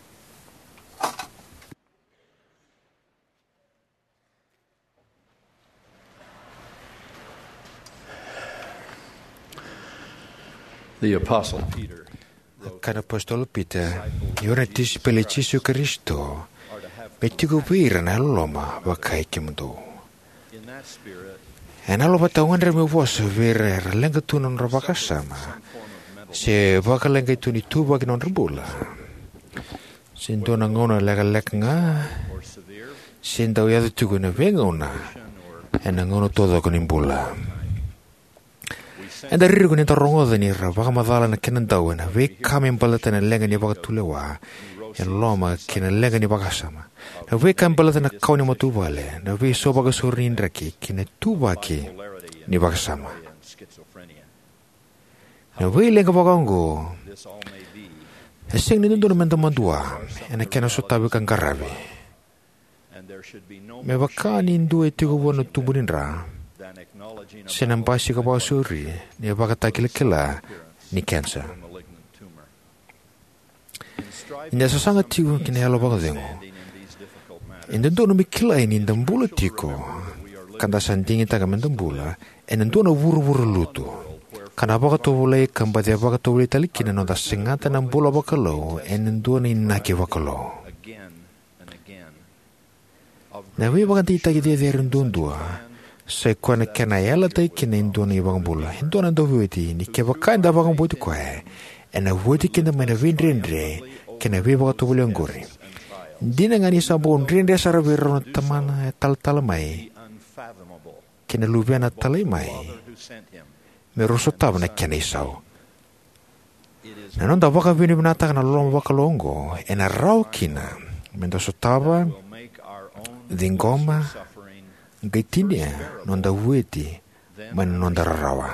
The Apostle Peter. Kaya na apositolo Pita, io na tisaipeli i Jisu Karisito, me tiko vei ira na yalololoma vakai kemudou. Ena yalo vata au gadreva meu vosa vei ira era leqa tu na nodra vakasama, se vakaleqai tu ni tuvaki na nodra bula, se dua na gauna lekaleka ga, se dau yaco tiko ena veigauna, ena gauna taucoko ni bula. Eda ririko ni da rogoca ni ra vakamacala na kena dau ena veika me baleta na leqa ni vakatulewa e loma kei na leqa ni vakasama, na veika me baleta na kawa ni matavuvale, na veisau vakasauri ni draki kei na tuvaki ni vakasama. Na veileqa vakaoqo e sega ni dodonu meda madua ena kena sotavi ka qaravi. Me vaka ni dua e tiko vua na tubu ni dra se na basika vakasauri ni vakatakilakila ni kenisa. Ni da sasaga tiko ki na yalo vakacegu, e dodonu me kilai ni da bula tiko ka da sa digitaka meda bula ena dua na vuravura lutu, ka na vakatovolei ka baci vakatovolei tale kina na noda segata na bula vakalou ena dua na inaki vakalou. Na veivakadeitaki cecere duadua sa i koya na kena yalataki kina e dua na iVakabula, e dua na Dauveivueti, ni kevaka eda vakabauti koya, ena vueti keda mai na veidredre kei na veivakatovolei oqori. Dina ga ni sa bau dredre sara vei rau na Tamana e talatala mai kei na Luvena talai mai, me rau sotava na kena isau. Na noda vakavinavinakataka na loloma vakalou oqo ena rawa kina meda sotava, ciqoma, qai tinia noda vueti mai na noda rarawa.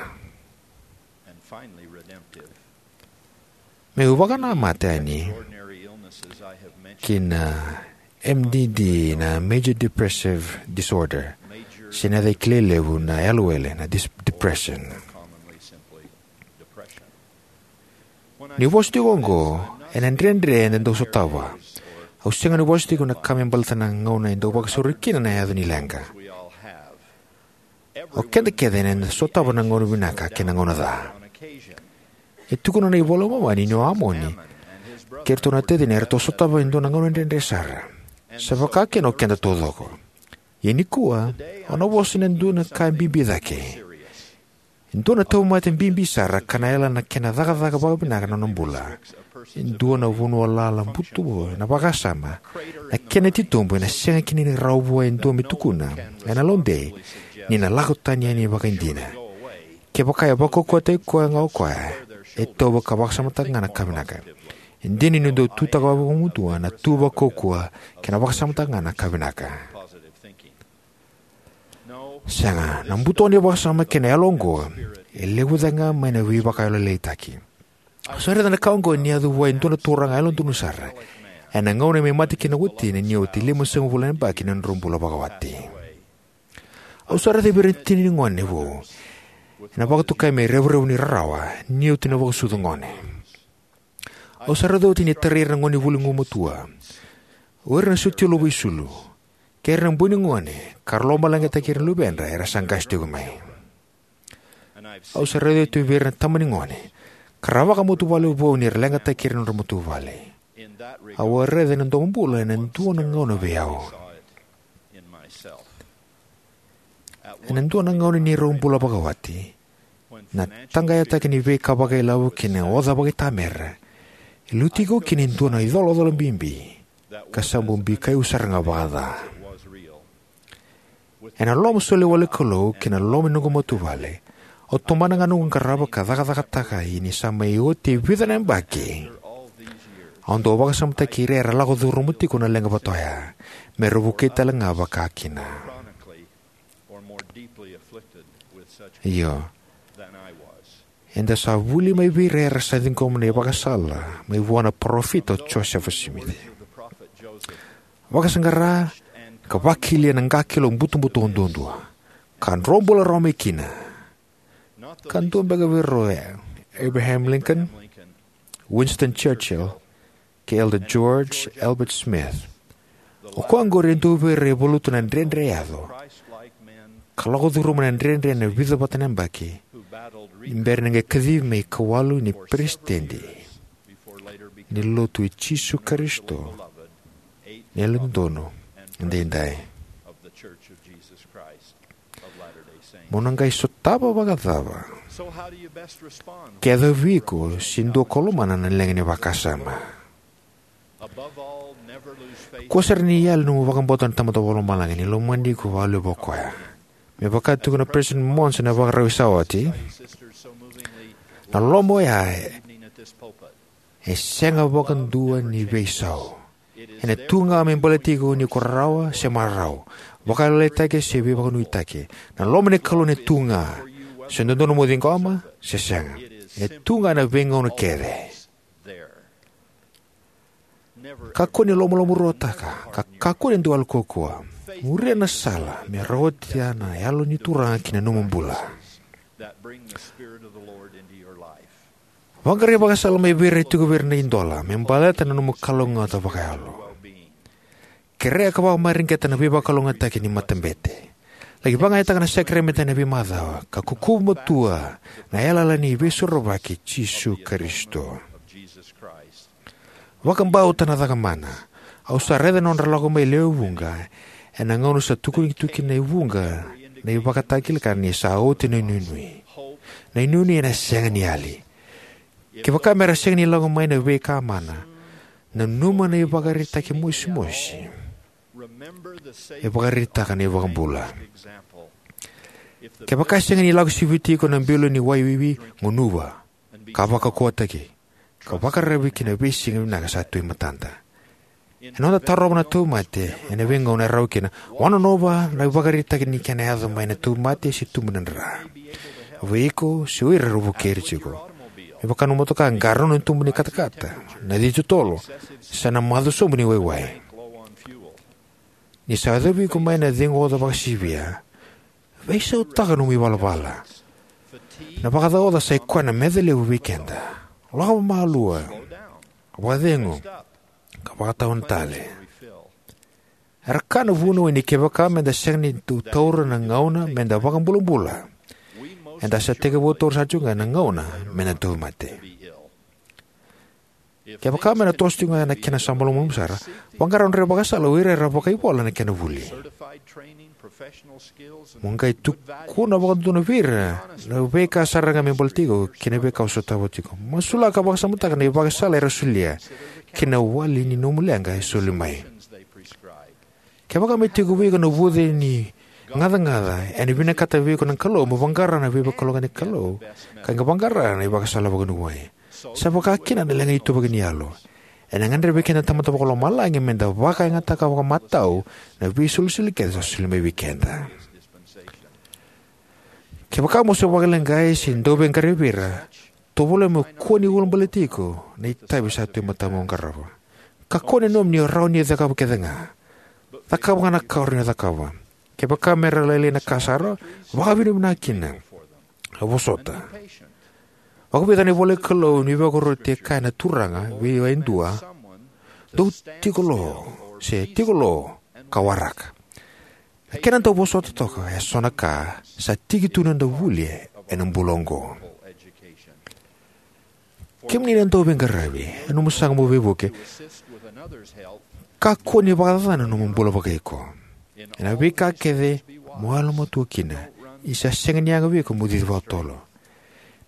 Meu vakanamata yani ki na M D D, na major depressive disorder, se na yaca kilai levu na yalowele, na dis-, depression. Niu vosa tiko oqo ena dredre eda dau sotava, au sega ni vosa tiko na ka me baleta na gauna e dau vakasauri kina na yaco ni leqa. O keda kece eda na sotava na gauna vinaka kei na gauna ca. E tukuna na iVola i Momani ni o Amoni kei iratou na tacina eratou sotava e dua na gauna dredre sara. Sa vaka kina o keda taucoko. Ia nikua, au na vosa ena dua na ka bibi cake. E dua na tauvimate bibi sara ka na yala na kena cakacaka vakavinaka na nona bula. E dua na vanua lala butobuto ena vakasama, na kena titobu ena sega kina ni rawa vua e dua me tukuna ena lode ni na lako tani yani vakaidina. Kevaka e vakaukauwataki koya ga o koya, e tauva ka vakasamataka ga na ka vinaka. E dina ni dau tutaka vakamuduo na tu vakaukauwa kei na vakasamataka ga na ka vinaka. Sega, na butobuto ni vakasama kei na yalo oqo e levu cake ga mai na veivakayalolailaitaki. Au sa raica na ka oqo ni yaco vua e dua na turaga yalododonu sara ena gauna me mate kina o watina ni oti limasagavulu na yabaki ni nodra bula vakawati. Au sa raica vei ira na tina ni gone vou ena vakatokai me revurevu ni rarawa ni oti na vakasucu gone. Au sa raica oti ni tarai ira na gonevuli gumatua, o ira na sotia lovo isulu, kei ira na boi ni gone ka ra lomaleqataki ira na luvedra era sa qase tiko mai. Au sa raica oti vei ira na tama ni gone ka ra vakamatavuvale vou ni ra leqataki ira na nodra matavuvale. Au a raica ena domobula ena dua na gauna vei au. Ena dua na gauna ni rau bula vakawati, na taqayataki ni veika vakailavo kei na oca vakaitamera e lutu tiko kina e dua na icolacola bibi ka sa bau bikai au sara ga vakaca. Ena loloma soli wale ni Kalou kei na loloma ni noqu matavuvale, au tomana ga noqu qarava ka cakacakataka. Ia ni sa mai oti e vica na yabaki, au dau vakasamataki ira era lako curuma tiko na leqa vata oya me ra vukei tale ga vakakina. Io, eda sa vuli mai vei ira era sa ciqoma na ivakasala mai vua na Parofita o Josefa Simici. Vakasaqara ka vakilia na qakilo butobuto duadua ka dro bula rawa mai kina, ka dua beka vei rau o Abraham Lincoln, Winston Churchill, kei Elder George Albert Smith. O koya oqori e dua vei ira e valuta na dredre e yaco ka lako curuma na dredre ena vica vata na yabaki ni bera ni qai kacivi me ikawalu ni peresitedi ni Lotu i Jisu Karisito ni Yalododonu Edaidai. Mo na qai sotava vakacava ke yaco vei iko se dua ko lomana na leqa ni vakasama? Kua sara ni yali nomu vakabauta na Tamada Vakalomalagi ni lomani iko vakalevu o Koya. Me vaka e tukuna o Peresitedi Monson ena ivakarau sa oti, na loloma oya e sega vakadua ni veisau. Ena tu ga me baleti iko ni ko rarawa se marau, vakayalolailaitaki se veivakanuinui. Na loloma ni Kalou ena tu ga, se dodonu mo ciqoma se sega. E tu ga ena veigauna kece. Kakua ni lomalomarua, ka kakua ni dau yalo kaukauwa. Muria na sala me rawati na Yalo ni Turaga ki na nomu bula. Vaqarai vakasala mai vei ira e tiko vei ira na idola me baleta na nomu kalougata vakayalo. Kerea ka vakamareqeta na veivakalougatataki ni matabete. Laki vakayagataka na sakaramede ena veimacawa ka kukuva matua na yalayala ni Veisorovaki i Jisu Karisito. Vakabauta na caka mana. Au sa raica na nodra lako mai lewe vuqa ena gauna sa tukuni tu kina e vuqa na ivakatakila ka ni sa oti na inuinui. Na inuinui ena sega ni yali. Kevaka me ra sega ni lako mai na veika mana, nanuma na ivakaraitaki mosimosi e vakaraitaka na iVakabula. Kevaka e sega ni lako siviti iko na bilo ni wai wiwi, gunuva ka vakaukauwataki ka vakararavi ki na veisiga vinaka sa tu e matada. Ena noda tarova na tauvimate ena veigauna e rawa kina, vakananuma na ivakaraitaki ni kena yaco mai na tauvimate se tubu ni dra vei iko se o ira era vukei iko. Me vaka na motoka, qarauna na tubu ni katakata, na cici totolo, se na maca sobu ni waiwai. Ni sa yacovi iko mai na cegu oca vakasivia, veisautaka nomu ivalavala. Na vakaca oca sa ikoya na meca levu vei keda. Lako vakamalua, vakacegu, ka vakatawana tale. Era kaya na vunau ni kevaka meda sega ni dau taura na gauna meda vakabulabula, eda sa tekivu taura sara tiko ga na gauna meda tauvimate. Kevaka me na toso tiko ga na kena sa malumalumu sara, vaqara nodra ivakasala o ira era vakaivola ena kena vuli. Mo qai tukuna vakadodonu vei ira na veika sara ga me baleti iko kei na veika o sotava tiko. Masulaka ka vakasamataka na ivakasala era solia kei na wali ni nomu leqa e soli mai. Kevaka me tiko vei iko na vuce ni gacagaca, ena vinakata vei iko na Kalou mo vaqara na veivakalougatataki ni Kalou ka qai vaqara na ivakasala vakanuinui. Sa vaka kina na leqa ni ituvaki ni yalo. Ena gadrevi keda na Tamada Vakalomalagi meda vakayagataka vakamatau na veisolisoli kece sa soli mai vei keda. Kevaka mo se vakaleqai se dauveiqaravi vei ira, tovolea mo kua ni ulabaleti iko na itavi sa tu e matamu mo qarava. Kakua ni nanuma ni o rawa ni o cakava kece ga. Cakava ga na ka o rawa ni o cakava. Kevaka me ra lailai na ka sara, vakavinavinaka kina. A vosota. Vakavica na ivola ni Kalou ni veivakaroti e kaya na Turaga vei au e dua, dou tiko lo, se tiko lo, ka waraka. Na kena dau vosota toka e so na ka sa tiki tu na noda vuli ena bula oqo. Kemuni na dauveiqaravi, ena nomu saga mo veivuke, kakua ni vakacacana na nomu bula vakaiko. Ena veika kece mo yalomatua kina, ni sa sega ni yaga vei iko mo cici vakatotolo.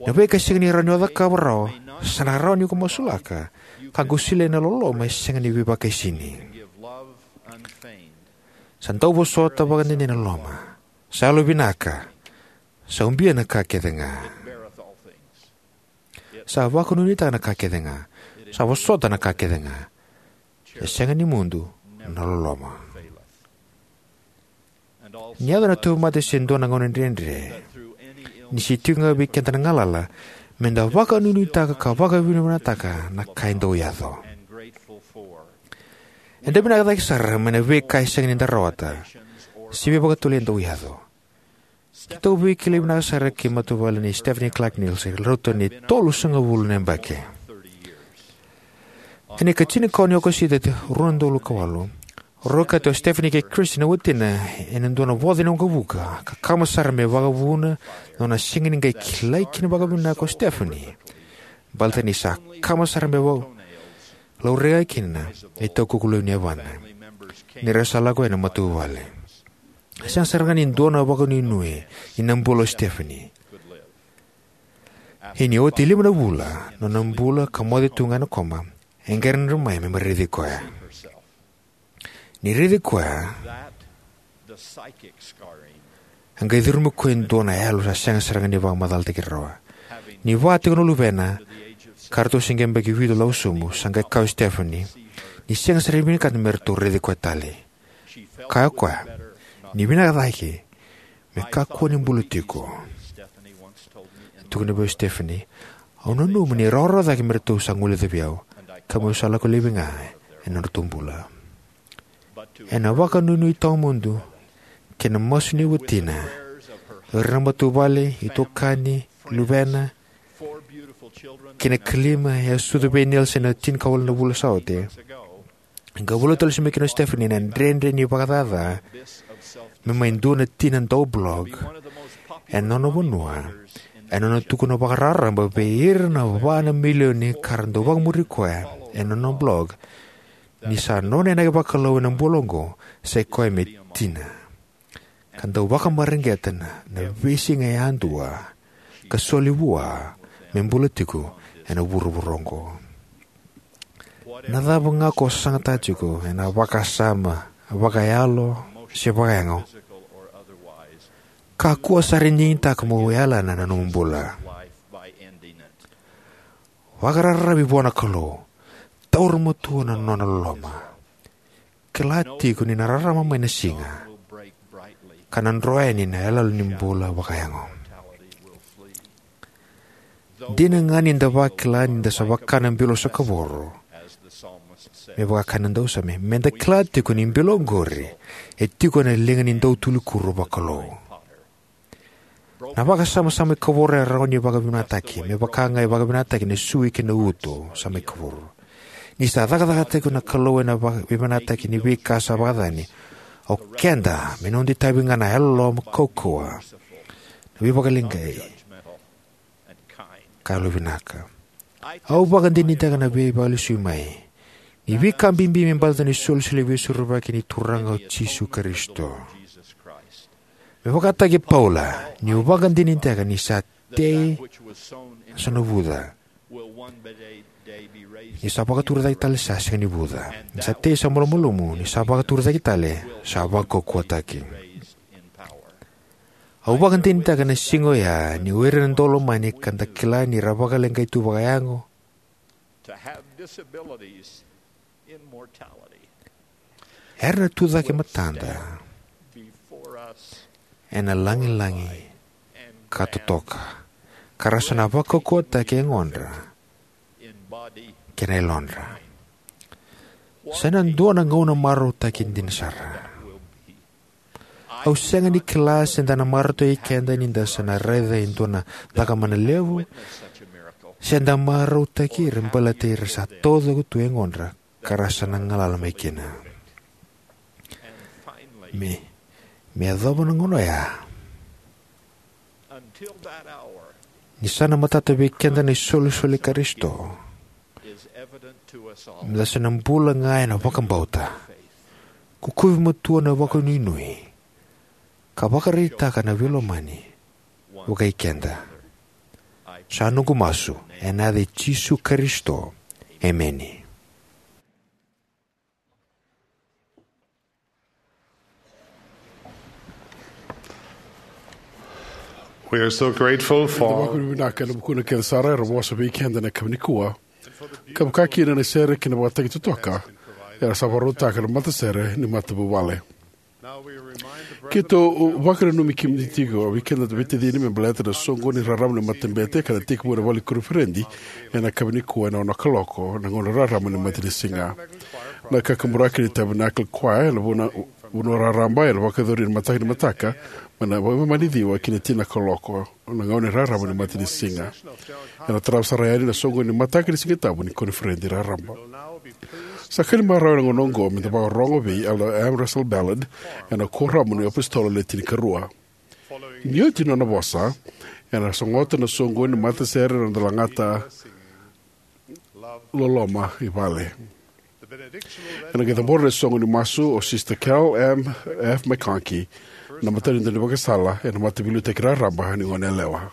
Na veika sega ni rawa ni o cakava rawa, sa na rawa ni ko masulaka, ka qai solia na loloma e sega ni veivakaisini. Sa dau vosota vakadede na loloma. Sa yalovinaka. Sa ubia na ka kece ga. Sa vakanuinuitaka na ka kece ga. Sa vosota na ka kece ga. E sega ni mudu na loloma. Ni yaco na tauvimate se dua na gauna dredre, ni se tiko ga vei keda na galala, meda vakanuinuitaka ka vakavinavinakataka na ka e dau yaco. Eda vinaka cake sara mai na veika e sega ni da rawata, se veivakatovolei e dau yaco. Keitou veikilai vinaka sara kei matavuvale nei Stephanie Clark Nielsen, rauta ni tolusagavulu na yabaki. Ena ikatinikaono ni Okosita, rua na udolu ka walu, rau kauta o Stephanie kei Christy na watina ena dua na voca ni waqavuka, ka kama sara me vakavuna na nona sega ni qai kilai kina vakavinaka o Stephanie. Baleta ni sa kama sara me vakalaurai kina na itaukuku levu ni yavana. Ni ra sa lako yani na matavuvale. Sega sara ga ni dua na vakanuinui ena bula o Stephanie. Ia ni oti lima na vula na nona bula ka moce tu ga ena koma, e qai dredre mai me mai raici koya. Ni raici koya, e qai curumi koya e dua na yalo sa sega sara ga ni vakamacalataki rawa. Ni vaka tiko na luvena, ka ratou se qai yabaki vitu lako sobu, sa qai kaya o Stephanie ni sega sara ni vinakata me ratou raici koya tale. Kaya o koya ni vinaka cake me kakua ni bula tiko. E tukuna vei au o Stephanie, au nanuma ni rawarawa cake me ratou sa guileca vei au, ka meu sa lako laivi ga ena nodratou bula. Ena vakanuinui tawamudu kei na masu ni watina, o ira na matavuvale, itokani, luvena, kei na kalima e a sucu vei Nielsen ena tinikawalu na vula sa oti, e qai volai tale sobu mai kina o Stephanie na dredre ni vakacaca me mai dua na tina dau blog ena nona vanua, ena nona tukuna vakararaba vei ira na va na milioni ka ra dau vakamuri koya ena nona blog, ni sa nona inaki vakalou ena bula oqo sa i koya me tina, ka dau vakamareqeta na veisiga yadua ka soli vua me bula tiko ena vuravura oqo. Na cava ga ko sasagataka tiko ena vakasama, vakayalo se vakayago, kakua sara ni digitaka mo yalana na nomu bula. Vakararavi vua na Kalou. Taura matua na nona loloma. Kila tiko ni na rarama mai na siga, ka na dro yani na iyaloyalo ni bula vakayago. Dina ga ni da vakila ni da sa vaka na bilo sa kavoro, me vaka e kaya na dausame, me da kila tiko ni bilo oqori e tiko ena liga ni dautuli kuro vakalou. Na vakasama sa mai kavoro e rawa ni vakavinavinakataki, me vaka ga e vakavinavinakataki na sui kei na uto sa mai kavoro. Ni sa cakacakataki na Kalou ena vaka-, veivinakataki ni veika sa vakacacani, o keda me noda itavi ga na yalololoma, kaukauwa, na veivakaleqai, ka yalovinaka. Au vakadinadinataka na veivakalesuimai ni veika bibi me baleta na isolisoli veisorovaki ni Turaga o Jisu Karisito. Me vakataki Paula, niu vakadinadinataka ni sa tei sa na vuca, ni sa vakaturi cake tale sa sega ni vuca. Ni sa tei sa malumalumu, ni sa vakaturi cake tale sa vakaukauwataki. Au vakadinadinataka na siga oya ni o ira na daulomani ka da kila ni ra vakaleqai tu vakayago, Era na tucake matada ena lagilagi ka totoka, ka ra sa na vakaukauwataki e yagodra kei na yalodra. Sa na dua na gauna marautaki dina sara. Au sega ni kila se da na marautaki keda ni da sa na raica e dua na cakamana levu, se da marautaki ira baleta ira sa taucoko tu e yagodra ka ra sa na galala mai kina. Me, me yacova na gauna oya, ni sa na matata vei keda na isolisoli i Karisito, me da sa na bula ga ena vakabauta, kukuvi matua na vakanuinui, ka vakaraitaka na veilomani vakai keda. Sa noqu masu ena yaca i Jisu Karisito. Emeni. We are so grateful for. Vakavinavinaka kei na vukuna kece sara era vosa vei keda na yakavi nikua, ka vaka kina na sere kei na vakataki totoka era sa vakarautaka na matasere ni matavuvale. Keitou vakananumi kemuni tiko, vei keda na veitacini, me baleta na soqoni raraba ni matabete ka na tekivu ena vale ni koniferedi ena yakavi nikua ena ono na kaloko na gauna raraba ni matanisiga. Na kakaburaki ni Tabernacle Choir ena vanua, vanua raraba ena vakayacori ena mataka ni mataka mai na va-, mai na ciwa ki na tini na kaloko na gauna raraba ni matanisiga. Ena tarava sara yani na soqoni ni mataka ni Sigatabu ni koniferedi raraba. Sa ka ni marau ena gauna oqo me da vakarorogo vei Elder M. Russell Ballard ena Kuoramu ni iApositolo Le Tinikarua. Ni oti na nona vosa, ena sogota na soqoni ni matasere na noda lagata loloma i vale. Ena qai cabora na soqo ni masu o Sister Carol M. F. McConkie, na matanitu ni vakasala ena Mataveiliutaki Raraba ni Goneyalewa.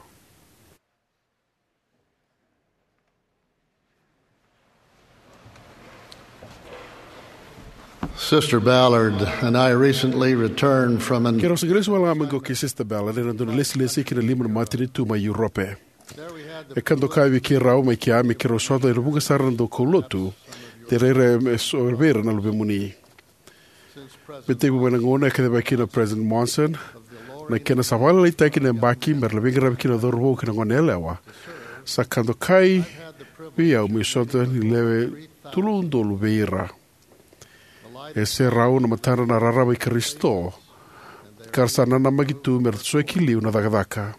Sister Ballard and I recently returned from an. Keirau sa qai lesu wale ga mai qo kei Sister Ballard ena dua na lesilesi ki na lima na matanitu mai Europe. E ka dokai vei keirau mai kea me keirau sota ena vuqa sara na daukaulotu, de rairai me so vei ira na luvemuni. Me tekivu mai na gauna e kacivaki kina o President Monson na kena sa vakalailaitaki na yabaki me ra na veiqaravi kina na cauravou kei na goneyalewa, sa ka dokai vei au meu sota ni lewe tolu na udolu vei ira. E serau na matadra na rarama i Karisito, ka ra sa nanamaki tu me ra tosoya ki liu na cakacaka,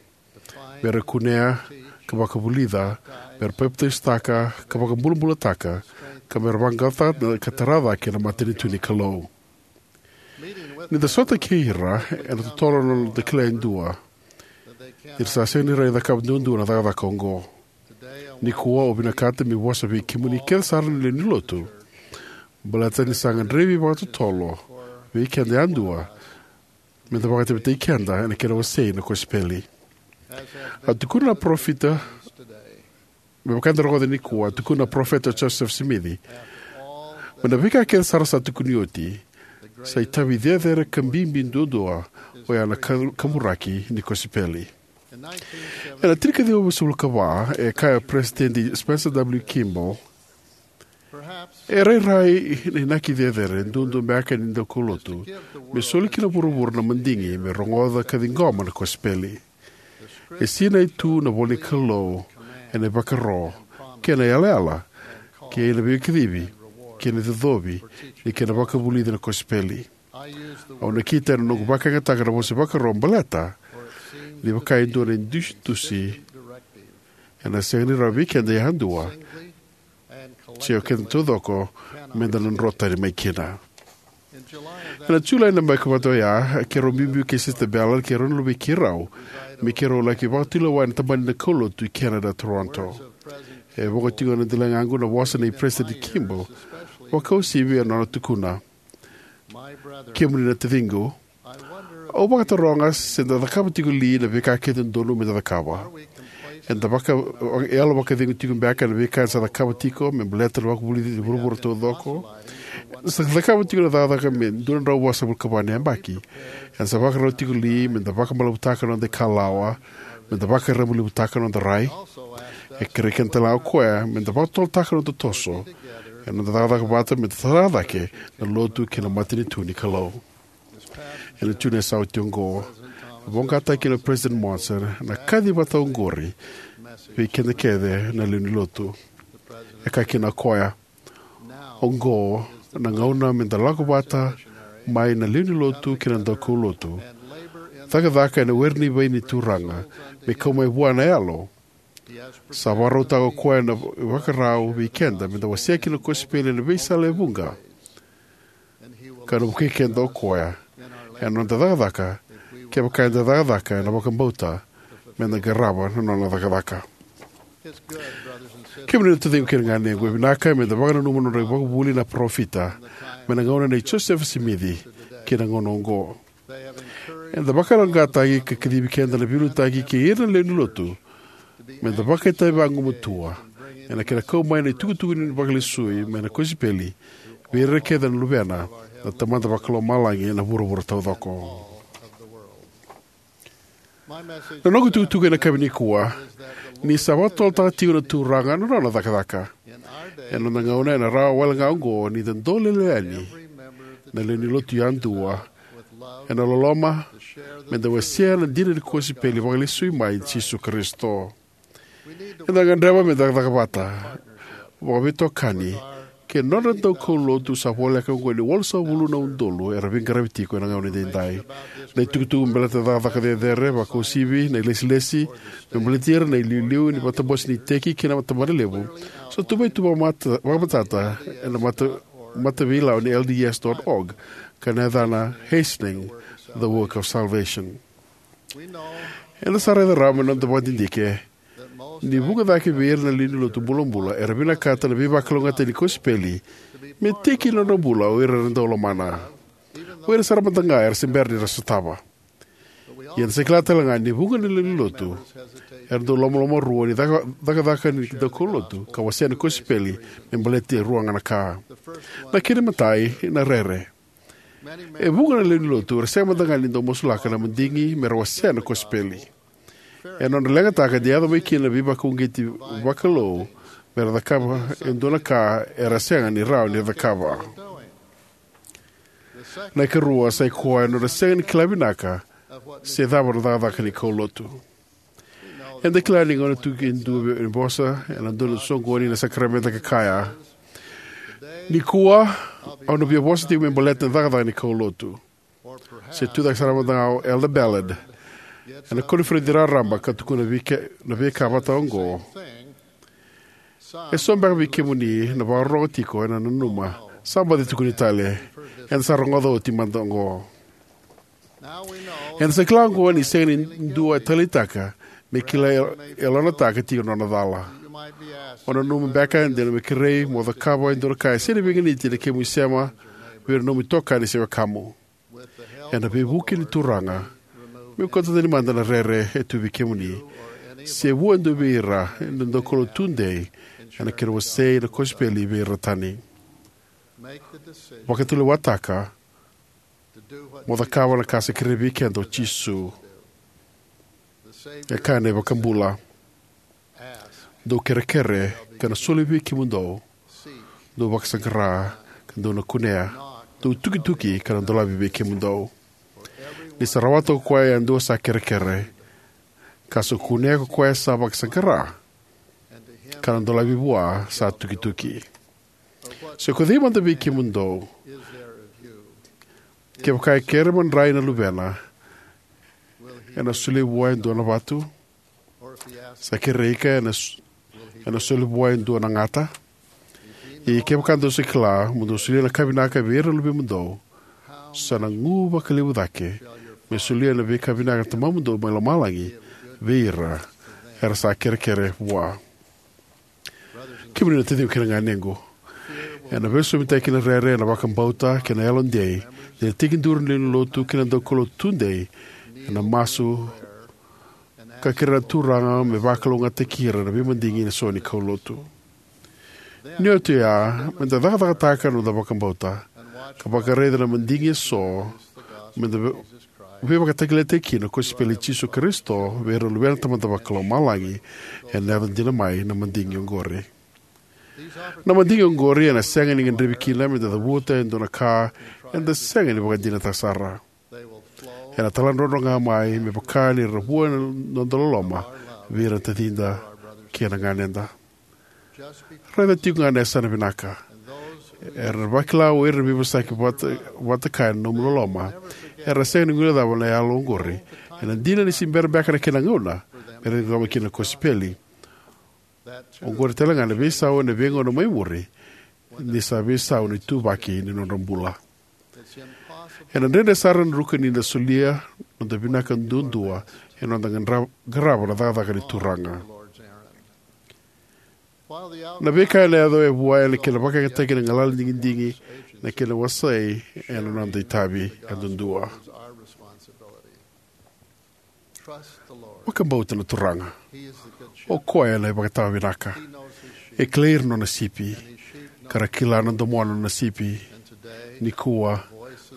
me ra kunea ka vakavulica, me ra papitaisotaka ka vakabulabulataka, ka me ra vaqaqacotaka ka tara cake na matanitu ni Kalou. Ni da sota kei ira, ena totolo na noda kila e dua ni ra sa sega ni rawa ni cakava duadua na cakacaka oqo. Nikua au vinakata meu vosa vei kemuni kece sara na lewe ni lotu, baleta ni sa gadrevi vakatotolo vei keda yadua me da vakaitavitaki keda ena kena wasei na kosipeli. A tukuna na parofita, me vaka eda rogoca nikua, a tukuna na Parofita Joseph Smith, mai na veika kece sara sa tukuni oti, sa itavi cecere ka bibi duadua oya na ka-, kaburaki ni kosipeli. Ena tinikaciwa vasagavulu ka va, e kaya o Peresitedi Spencer W. Kimball, e rairai na inaki cecere duadua beka ni daukaulotu me soli ki na vuravura na madigi me rogoca ka ciqoma na kosipeli. E sinai tu na ivola ni Kalou ena ivakaro kei na yalayala kei na veikacivi kei na icocovi ni kena vakavulici na kosipeli. Au nakita ena noqu vakayagataka na vosa ivakaro baleta ni vaka e dua na idusidusi ena sega ni rawa vei keda yadua se o keda taucoko me da na dro tani mai kina. Ena Julai na yabaki vata oya, keirau biubiu kei Sister Ballard kei rau na luvei keirau me keirau laki vakatulewa ena tabana ni kaulotu i Canada, Toronto. E voqa tiko na daligaqu na vosa nei Peresitedi Kimball, vakauasivi ena nona tukuna: Kemuni na taciqu, au vakataroga se da cakava tiko li na veika kece e dodonu me da cakava. Eda vaka, yalo vakacegu tiko beka ena veika eda sa cakava tiko me baleta na vakavulici ni vuravura taucoko. Eda sa cakava tiko na cakacaka me dua na drau vasagavulu ka va na yabaki. Eda sa vakarau tiko li me da vakamalavutaka na noda ikalawa, me da vakarabailevutaka na noda rai? E kerei keda tale ga o koya me da vakatotolotaka na noda toso Ena noda cakacaka vata me da tara cake na lotu kei na matanitu ni Kalou. Ena June sa oti oqo, e voqataki kina o President Monson na kaci vata oqori vei keda kece na lewe ni lotu. E kaya kina o koya: "Oqo na gauna me da lako vata mai na lewe ni lotu kei na daukaulotu, cakacaka ena were ni vaini ni Turaga, me kau mai vua na Yalo." Sa vakarautaka o koya na ivakarau vei keda me da wasea kina na kosipeli ena veisala e vuqa, ka na vukei keda o koya ena noda cakacaka, kevaka eda cakacaka ena vakabauta me da qarava na nona cakacaka. Kemuni na taciqu kei na ganequ, e vinaka me da vakananuma na nodra ivakavuvuli na parofita, mai na gauna nei Josefa Simici ki na gauna oqo. Eda vakayaloqaqataki ka kacivi keda na veiliutaki kei ira na lewe ni lotu me da vakaitavi vagumatua ena kena kau mai na itukutuku ni vakalesui mai na kosipeli vei ira kece na luvena na Tamada Vakalomalagi ena vuravura taucoko. Na noqu itukutuku ena yakavi nikua ni sa vakatotolotaka tiko na Turaga na nona cakacaka. Ena noda gauna, ena rawa wale ga oqo ni da dolele yani na lewe ni lotu yadua ena loloma, me da wasea na dina ni kosipeli vakalesui mai i Jisu Karisito. Eda gadreva me da cakacaka vata vakaveitokani kei na nodra daukaulotu sa voleka oqo ni walusagavulu na udolu era veiqaravi tiko ena gauna edaidai. Na itukutuku me baleta na cakacaka cecere, vakauasivi na ilesilesi me baleti ira na iliuliu ni matabose ni iteki kei na tabana levu, sa tuvai tu vakamata-, vakamatata ena mata-, mataveilawa ni L D S dot org, ka na yacana Hastening the Work of Salvation. Eda sa raica rawa mai na noda vakadidike ni vuqa cake vei ira na lewe ni lotu bulabula era vinakata na veivakalougatataki ni kosipeli me tiki ni nodra bula o ira era dau lomana, o ira sara mada ga era se bera ni ra sotava. Ia eda sa kila tale ga ni vuqa na lewe ni lotu era dau lomalomarua ni caka-, cakacaka ni daukaulotu ka wasea na kosipeli me baleti e rua ga na ka. Na kena imatai na rere. E vuqa na lewe ni lotu era sega mada ga ni dau masulaka na madigi me ra wasea na kosipeli. E nodra leqataka ni yaco mai kina na veivakauqeti vakalou me ra cakava e dua na ka era sega ni rawa ni ra cakava. Na ikarua sa i koya na nodra sega ni kila vinaka se cava na cakacaka ni kaulotu. Eda kila ni gauna tu e dua ni vosa ena dua na soqoni na sakaramede ka kaya: "Nikua au na via vosa tiko me baleta na cakacaka ni kaulotu." Se tu cake sara mada ga o Elder Ballard ena koniferedi raraba ka tukuna vei ke-, na veika vata oqo: "E so beka vei kemuni na vakarorogo tiko ena nanuma, sa baci tukuni tale. Eda sa rogoca oti mada oqo." Eda sa kila oqo ni sega ni dua e taleitaka me kila e-, e lonataka tiko na nona cala. O nanuma beka de na me kerei mo cakava e dua na ka e sega ni veiganiti ena kemu isema vei ira na nomu itokani se wekamu. Ena veivuke ni Turaga, meu kauta tani mada na rere e tu vei kemuni se vua e dua vei ira e dau kaulotu tudei ena kena wasei na kosipeli vei ira tani. Vakatulewataka mo cakava na ka sa kerei vei keda o Jisu. E kaya na iVakabula: "Dou kerekere ka na soli vei kemudou, dou vakasaqara ka dou na kunea, dou tukituki ka na dolavi vei kemudou." Ni sa rawata ko koya yadua sa kerekere, ka sa kunea ko koya sa vakasaqara, ka na dolavi vua sa tukituki. Se ko cei mada vei kemudou, kevaka e kere madrai na luvena, ena solia vua e dua na vatu? Sa kerei ika, ena s-, ena solia vua e dua na gata? Ia kevaka dou sa kila mo dou solia na ka vinaka vei ira na luvemudou, sa na gu vakalevu cake me solia na veika vinaka na Tamamudou mai lomalagi vei ira era sa kerekere vua. Kemuni na taciqu kei na ganequ, ena veisausaumi kei na rere ena vakabauta kei na yalodei ni na tekiduru na lewe ni lotu kei na daukaulotu tudei ena masu ka kerea na Turaga me vakalougatataki ira na veimadigi eso ni kaulotu. Ni oti oya, me da cakacakataka na noda vakabauta ka vakaraica na madigi eso me da vei-, veivakatakilakilataki kina na kosipeli i Jisu Karisito vei ira na luvena na Tamada Vakalomalagi, ena yaco dina mai na madigi oqori. Na madigi oqori ena sega ni gadrevi kina meda cavuta e dua na ka eda sega ni vakadinata sara. Ena taladrodro ga mai me vaka ni ra vua na noda loloma vei ira na tacida kei na ganeda. Raica tiko ga na yasana vinaka. Era vakila o ira na veivosaki vata, vata kaya na nomu loloma. Era sega ni guilecava na yalo oqori. Ena dina ni se bera beka na kena gauna me ra ciqoma kina na kosipeli. Oqori tale ga na veisau ena veigauna mai muri, ni sa veisau na ituvaki ni nodra bula. Ena dredre sara na druka ni da solia noda vinaka duadua ena noda gadra-, qarava na cakacaka ni Turaga. Na veika ena yaco e vua ena kena vakayagataki na galala ni digidigi, na kena wasei ena noda itavi yadudua. Vakabauta na Turaga. O koya na ivakatawa vinaka. E kilai ira na nona sipi, ka ra kila na domona na nona sipi. Nikua,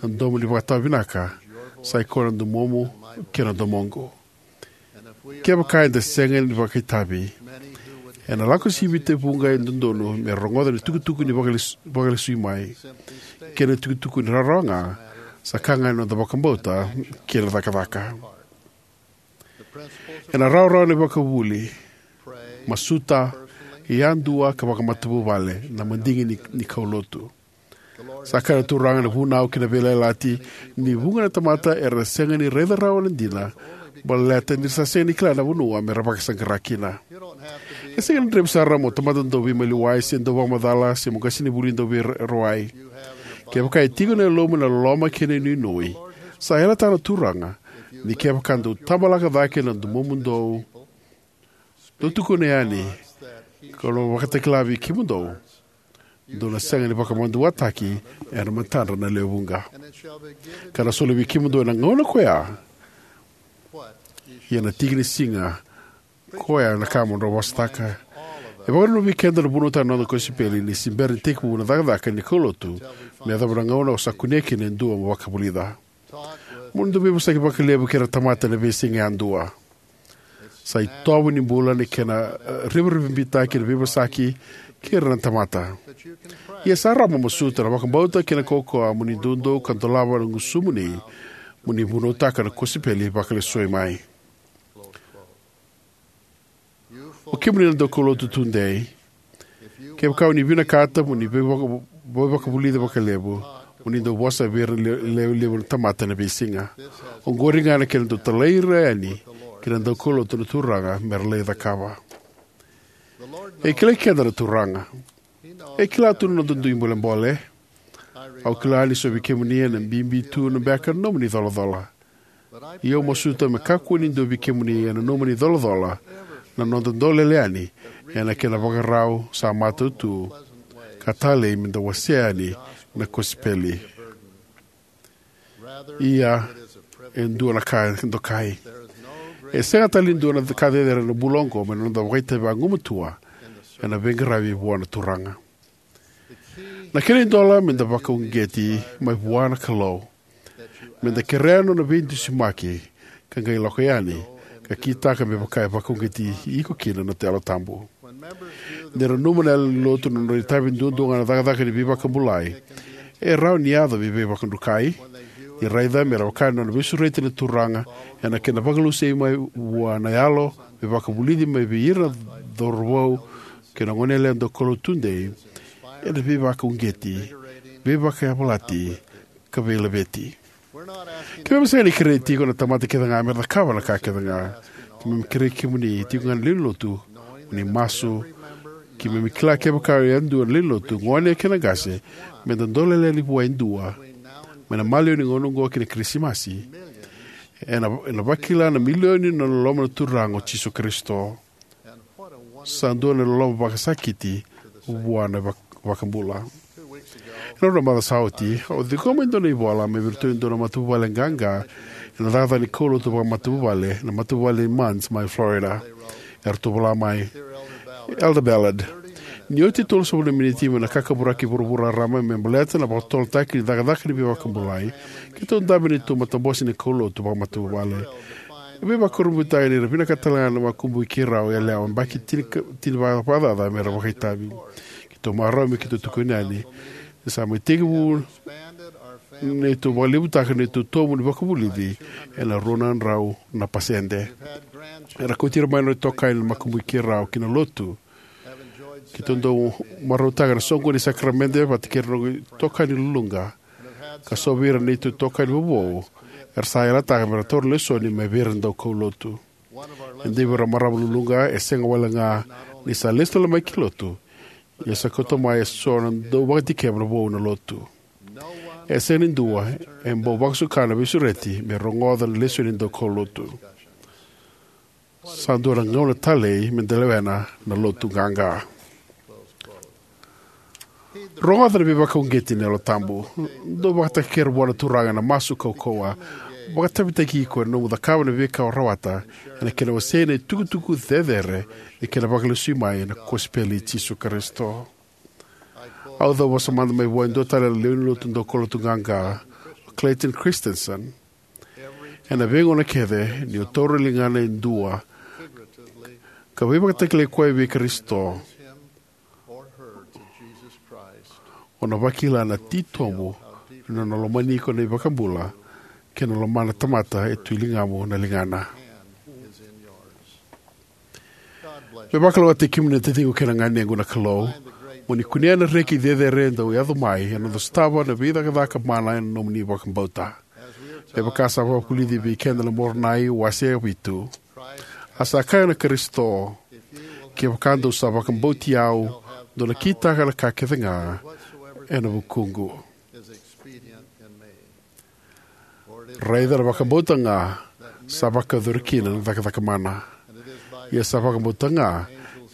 na domo ni vakatawa vinaka sa i koya na domomu kei na domoqu. Kevaka eda sega ni vakaitavi, ena lako sivita e vuqa e dodonu me rogoca na itukutuku ni vakales-, vakalesui mai. Kei na itukutuku ni rawarawa ga, sa ka ga ena noda vakabauta kei na cakacaka. Ena rawarawa na ivakavuvuli, masuta yadua ka vakamatavuvale na madigi ni, ni kaulotu. Sa kaya na Turaga na vunau kei na veiyalayalati ni vuqa na tamata era sega ni raica rawa na dina, baleta ni ra sa sega ni kila na vanua me ra vakasaqara kina. E sega ni gadrevi sara mo tamata dau veimaliwai se dau vakamacala se mo qasenivuli dau veirawai. Kevaka e tiko ena yalomu na loloma kei na inuinui, sa yalataka na Turaga ni kevaka dou tabalaka cake na domomu dou, dou tukuna yani, ka dou vakatakila vei kemudou, dou na sega ni vakamaduataki ena matadra na lewe vuqa. Ka na soli vei kemudou ena gauna koya, ia na tiki ni siga koya na ka mo drau vosataka. E vakananumi keda na vunautaka na noda kosipeli ni se bera ni tekivu na cakacaka ni kaulotu me yacova na gauna o sa kunea kina e dua mo vakavulica. Mo ni dau veivosaki vakalevu kei ira na tamata ena veisiga yadua. Sa itovo ni bula na kena, eh, revurevu bibi kei na veivosaki kei ira na tamata. Ia sa rawa mo masuta na vakabauta kei na kaukaua mo ni doudou ka dolava na gusumuni mo ni vunautaka na kosipeli vakalesui mai. O kemuni na daukaulotu tudei, kevaka o ni vinakata mo ni veivaka-, veivakavulici vakalevu, mo ni dau vosa vei ira na le-, lewe levu na tamata ena veisiga. Oqori ga na kena dau talai ira yani ki na daukaulotu na Turaga me ra lai cakava. E kilai keda na Turaga. E kila tu na noda dui bolebole. Au kila ni so vei kemuni ena bibi tu na beka na nomuni colacola. Ia au masuta me kakua ni dua vei kemuni ena nomuni colacola na noda dolele yani ena kena vakarau sa matau tu ka talei me da wasea yani na kosipeli. Ia, e dua na ka dokai. E sega tale ni dua na ka cecere ena bula oqo mai na noda vakaitavi vagumatua ena veiqaravi vua na Turaga. Na kena idola me da vakauqeti mai vua na Kalou, me da kerea na nona veidusimaki ka qai lako yani ka kitaka me vaka e vakauqeti iko kina na Yalo Tabu. Ni ra nanuma na yalewa ni Lotu na nodra itavi duadua ga na cakacaka ni veivakabulai, e rawa ni yaco me veivakadrukai. Ni raica me ra vaka na nona veisureti na Turaga ena kena vakalesui mai vua na yalo me vakavulici mai vei ira na cauravou kei na goneyalewa daukaulotu tudei, ena veivakauqeti, veivakayavalati, ka veilaveti. Keimami sega ni kerei tiko na tamata kece ga me ra cakava na ka kece ga. Keimami kerei kemuni tiko ga na lewe ni Lotu mo ni masu. Keimami kila kevaka e dua na lewe ni Lotu, gone kei na qase, me da dolele yani vua e dua mai na maliwa ni gauna oqo ki na Kirisimasi, ena, ena vakila na milioni na loloma na Turaga o Jisu Karisito. Sa dua na loloma vakasakiti vua na vak-, vakabula. Ena rua na macawa sa oti, au ciqoma e dua na ivola mai vei iratou e dua na matavuvale qaqa ena cakacaka ni kaulotu vakamatavuvale, na matavuvale ni Munns mai Florida. Eratou vola mai: Elder Ballard, ni oti tolusagavulu na miniti mai na kakaburaki vuravura raraba me baleta na vakatotolotaki ni cakacaka ni veivakabulai, keitou dabe ena neitou matabose ni kaulotu vakamatavuvale. E veivakurabuitaki ni ra vinakata talega na makubui keirau yalewa yabaki tini, tini vakacaca me ra vakaitavi. Keitou marau me keitou tukuni yani ni sa mai tekivu neitou vakalevutaka neitou itovo ni vakavulici ena rua na drau na pasede. Era kauti ira mai na itokani na makubui keirau ki na lotu. Keitou dau marautaka na soqoni ni sakaramede vata kei ira na itokani luluqa, ka so vei ira na neitou itokani vovou era sa yalataka me ra taura lesoni mai vei ira na daukaulotu. E dua vei ira na marama luluqa e sega walega ni sa lesu tale mai ki lotu, ia sa kauta mai eso na dau vakadikeva na vou na lotu. E sega ni dua e bau vakasuka na veisureti me rogoca na lesoni ni daukaulotu. Sa dua na gauna talei me da lewena na lotu qaqa. Rogoca na veivakauqeti ni Yalo Tabu. Dau vakatakekere vua na Turaga ena masu kaukauwa. Vakatavitaki iko ena nomu cakava na veika o rawata ena kena wasei na itukutuku cecere ni kena vakalesui mai na kosipeli i Jisu Karisito. Au cau vosa mada mai vua e dua tale na lewe ni lotu daukaulotu qaqa, o Clayton Christensen. Ena veigauna kece ni o taura na ligana e dua ka veivakatakilai koya vei Karisito, o na vakila na titobu ni nona lomani iko na iVakabula kei na lomana na tamata e tu e ligamu na ligana. Me vakalougatataki kemuni na taciqu kei na ganequ na Kalou, mo ni kunea na reki cecere e dau yaco mai ena noda sotava na veicakacaka mana ena nomuni vakabauta. Me vaka sa vakavulici vei keda na Moronai wase vitu, a sa kaya na Karisito, kevaka dou sa vakabauti au, dou na kitaka na ka kece ga ena vukuqu. Raica na vakabauta ga sa vakayacori kina na cakacaka mana. Ia sa vakabauta ga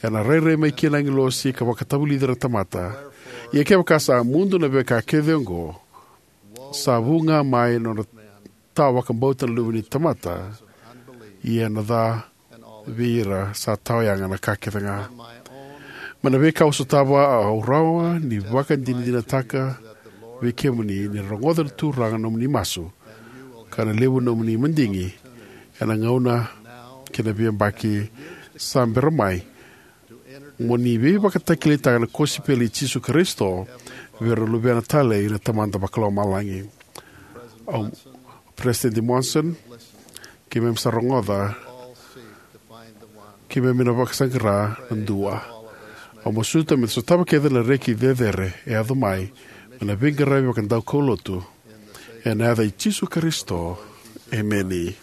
ena rairai mai kina na agilosi ka vakatavulici ira na tamata. Ia kevaka sa mudu na veika kece oqo, sa vu ga mai na nona tawa vakabauta na Luve ni tamata, ia ena ca vei ira sa tawa yaga na ka kece ga. Mai na veika au sotava, au rawa ni vakadinadinataka vei kemuni ni na rogoca na Turaga na nomuni masu, ka na levu na nomuni madigi ena gauna kei na veiyabaki sa bera mai, mo ni veivakatakilaitaka na kosipeli i Jisu Karisito vei ira na luvena talei na Tamada Vakalomalagi. Au, President Monson, keimami sa rogoca, keimami na vakasaqara na dua. Au masuta me da sotava kece na reki cecere e yaco mai mai na veiqaravi vakadaukaulotu. Ena yaca i Jisu Karisito, emeni.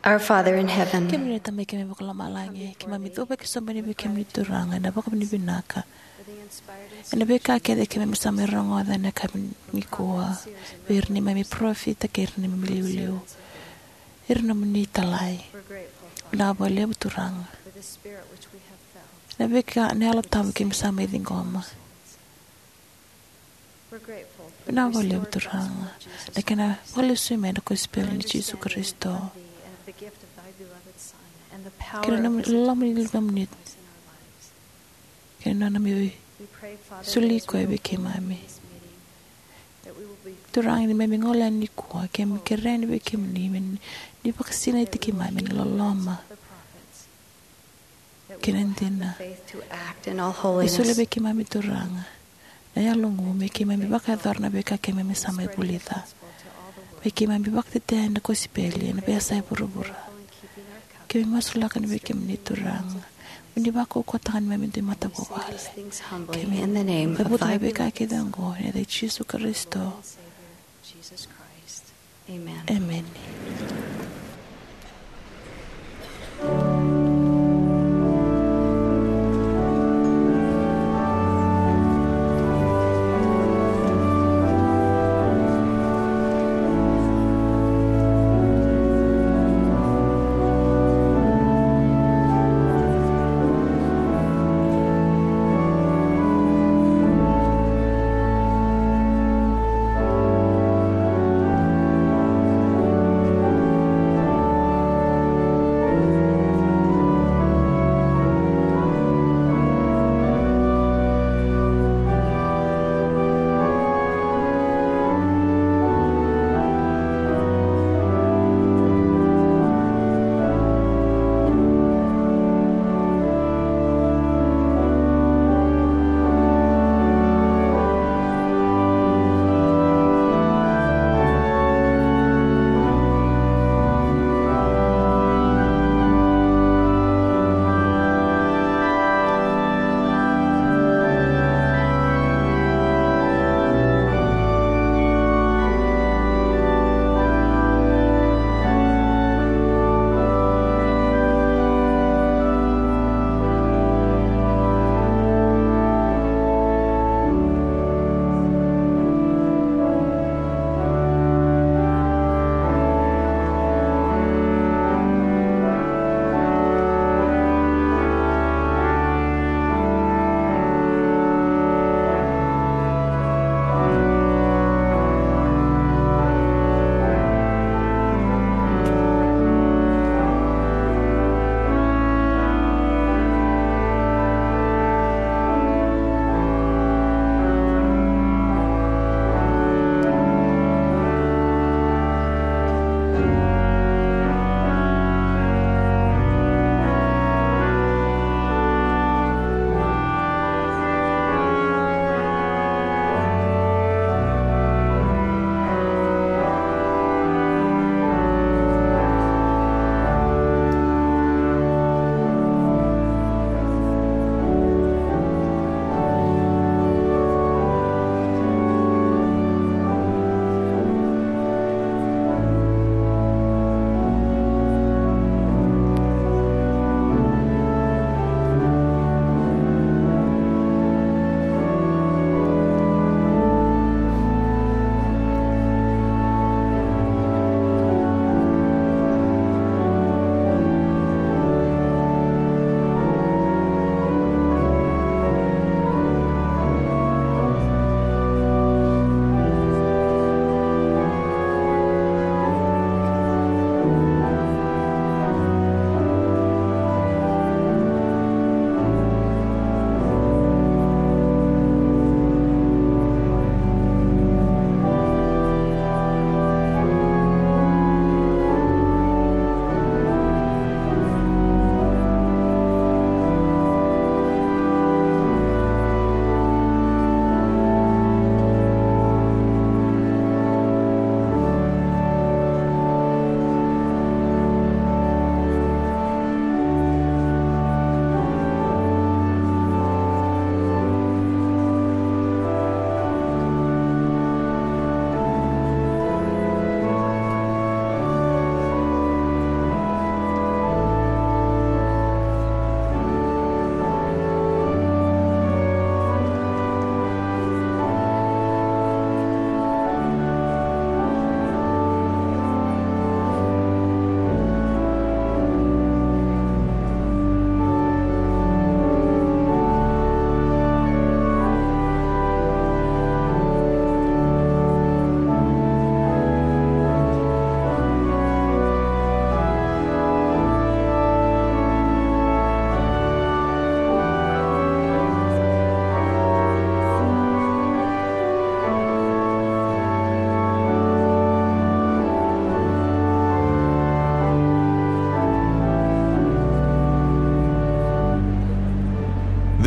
Our Father in heaven, kemuni na Tamai keimami vakalomalagi, keimami cuva ki sobu yani vei kemuni Turaga ena vakavinavinaka ena veika kece keimami sa mai rogoca ena yakavi nikua vei ira neimami parofita kei ira neimami iliuliu, ira nomuni italai. Vinaka vakalevu Turaga ena veika, na Yalo Tabu keimami sa mai ciqoma. Vinaka vakalevu Turaga na kena vakalesui mai na kosipeli nei Jisu Karisito kei na nomuni loloma ni Luvemuni kei na nona mai soli koya vei keimami. Turaga, ni keimami gole yani nikua, keimami kerea yani vei kemuni me ni vakasinaiti keimami ena loloma kei na dina. Ni solia vei keimami Turaga na yalogu me keimami vakayacora na veika keimami sa mai vulica, me keimami vakatetea na kosipeli ena veiyasa e vuravura. Keimami masulaka yani vei kemuni Turaga mo ni vakaukauwataka neimami dui matavuvale. Keimami cavuta na veika kece oqo ena yaca i Jisu Karisito. Emeni.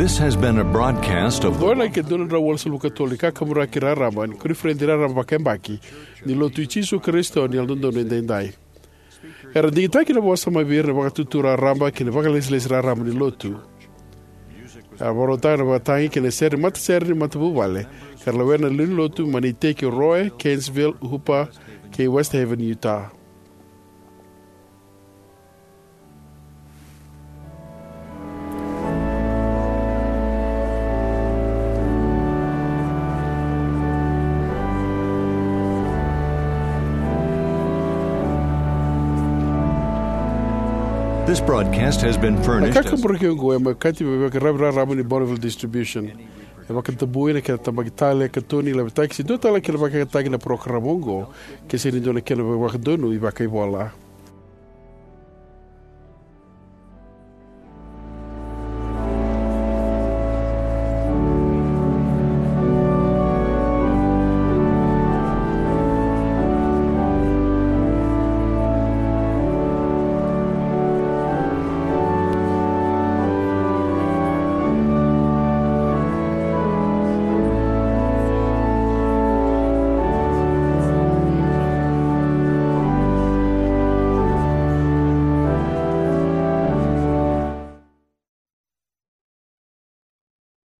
This has been a broadcast of the Oqo na ika dua na drau walusagavulu ka tolu ni kakaburaki raraba ni koniferedi raraba vakayabaki ni Lotu i Jisu Karisito ni Yalododonu Edaidai. Era digitaki na vosa mai vei ira na vakatutu raraba kei na vakalesilesi raraba ni Lotu. Era vakarautaka na vakatagi kei na sere, matasere ni matavuvale ka ra lewena na lewe ni Lotu mai na iteki o Roe, Gainesville, Hooper, kei West Haven, Utah. This broadcast has been Na furnished as kakaburaki oqo e mai kati me vaka ravi raraba ni Bonneville Distribution. E vakatabui na kena tabaki tale, katoni, lavetaki se dua tale na kena vakayagataki na parokaramu oqo, ke sega ni dua na kena vakadonui vakaivola.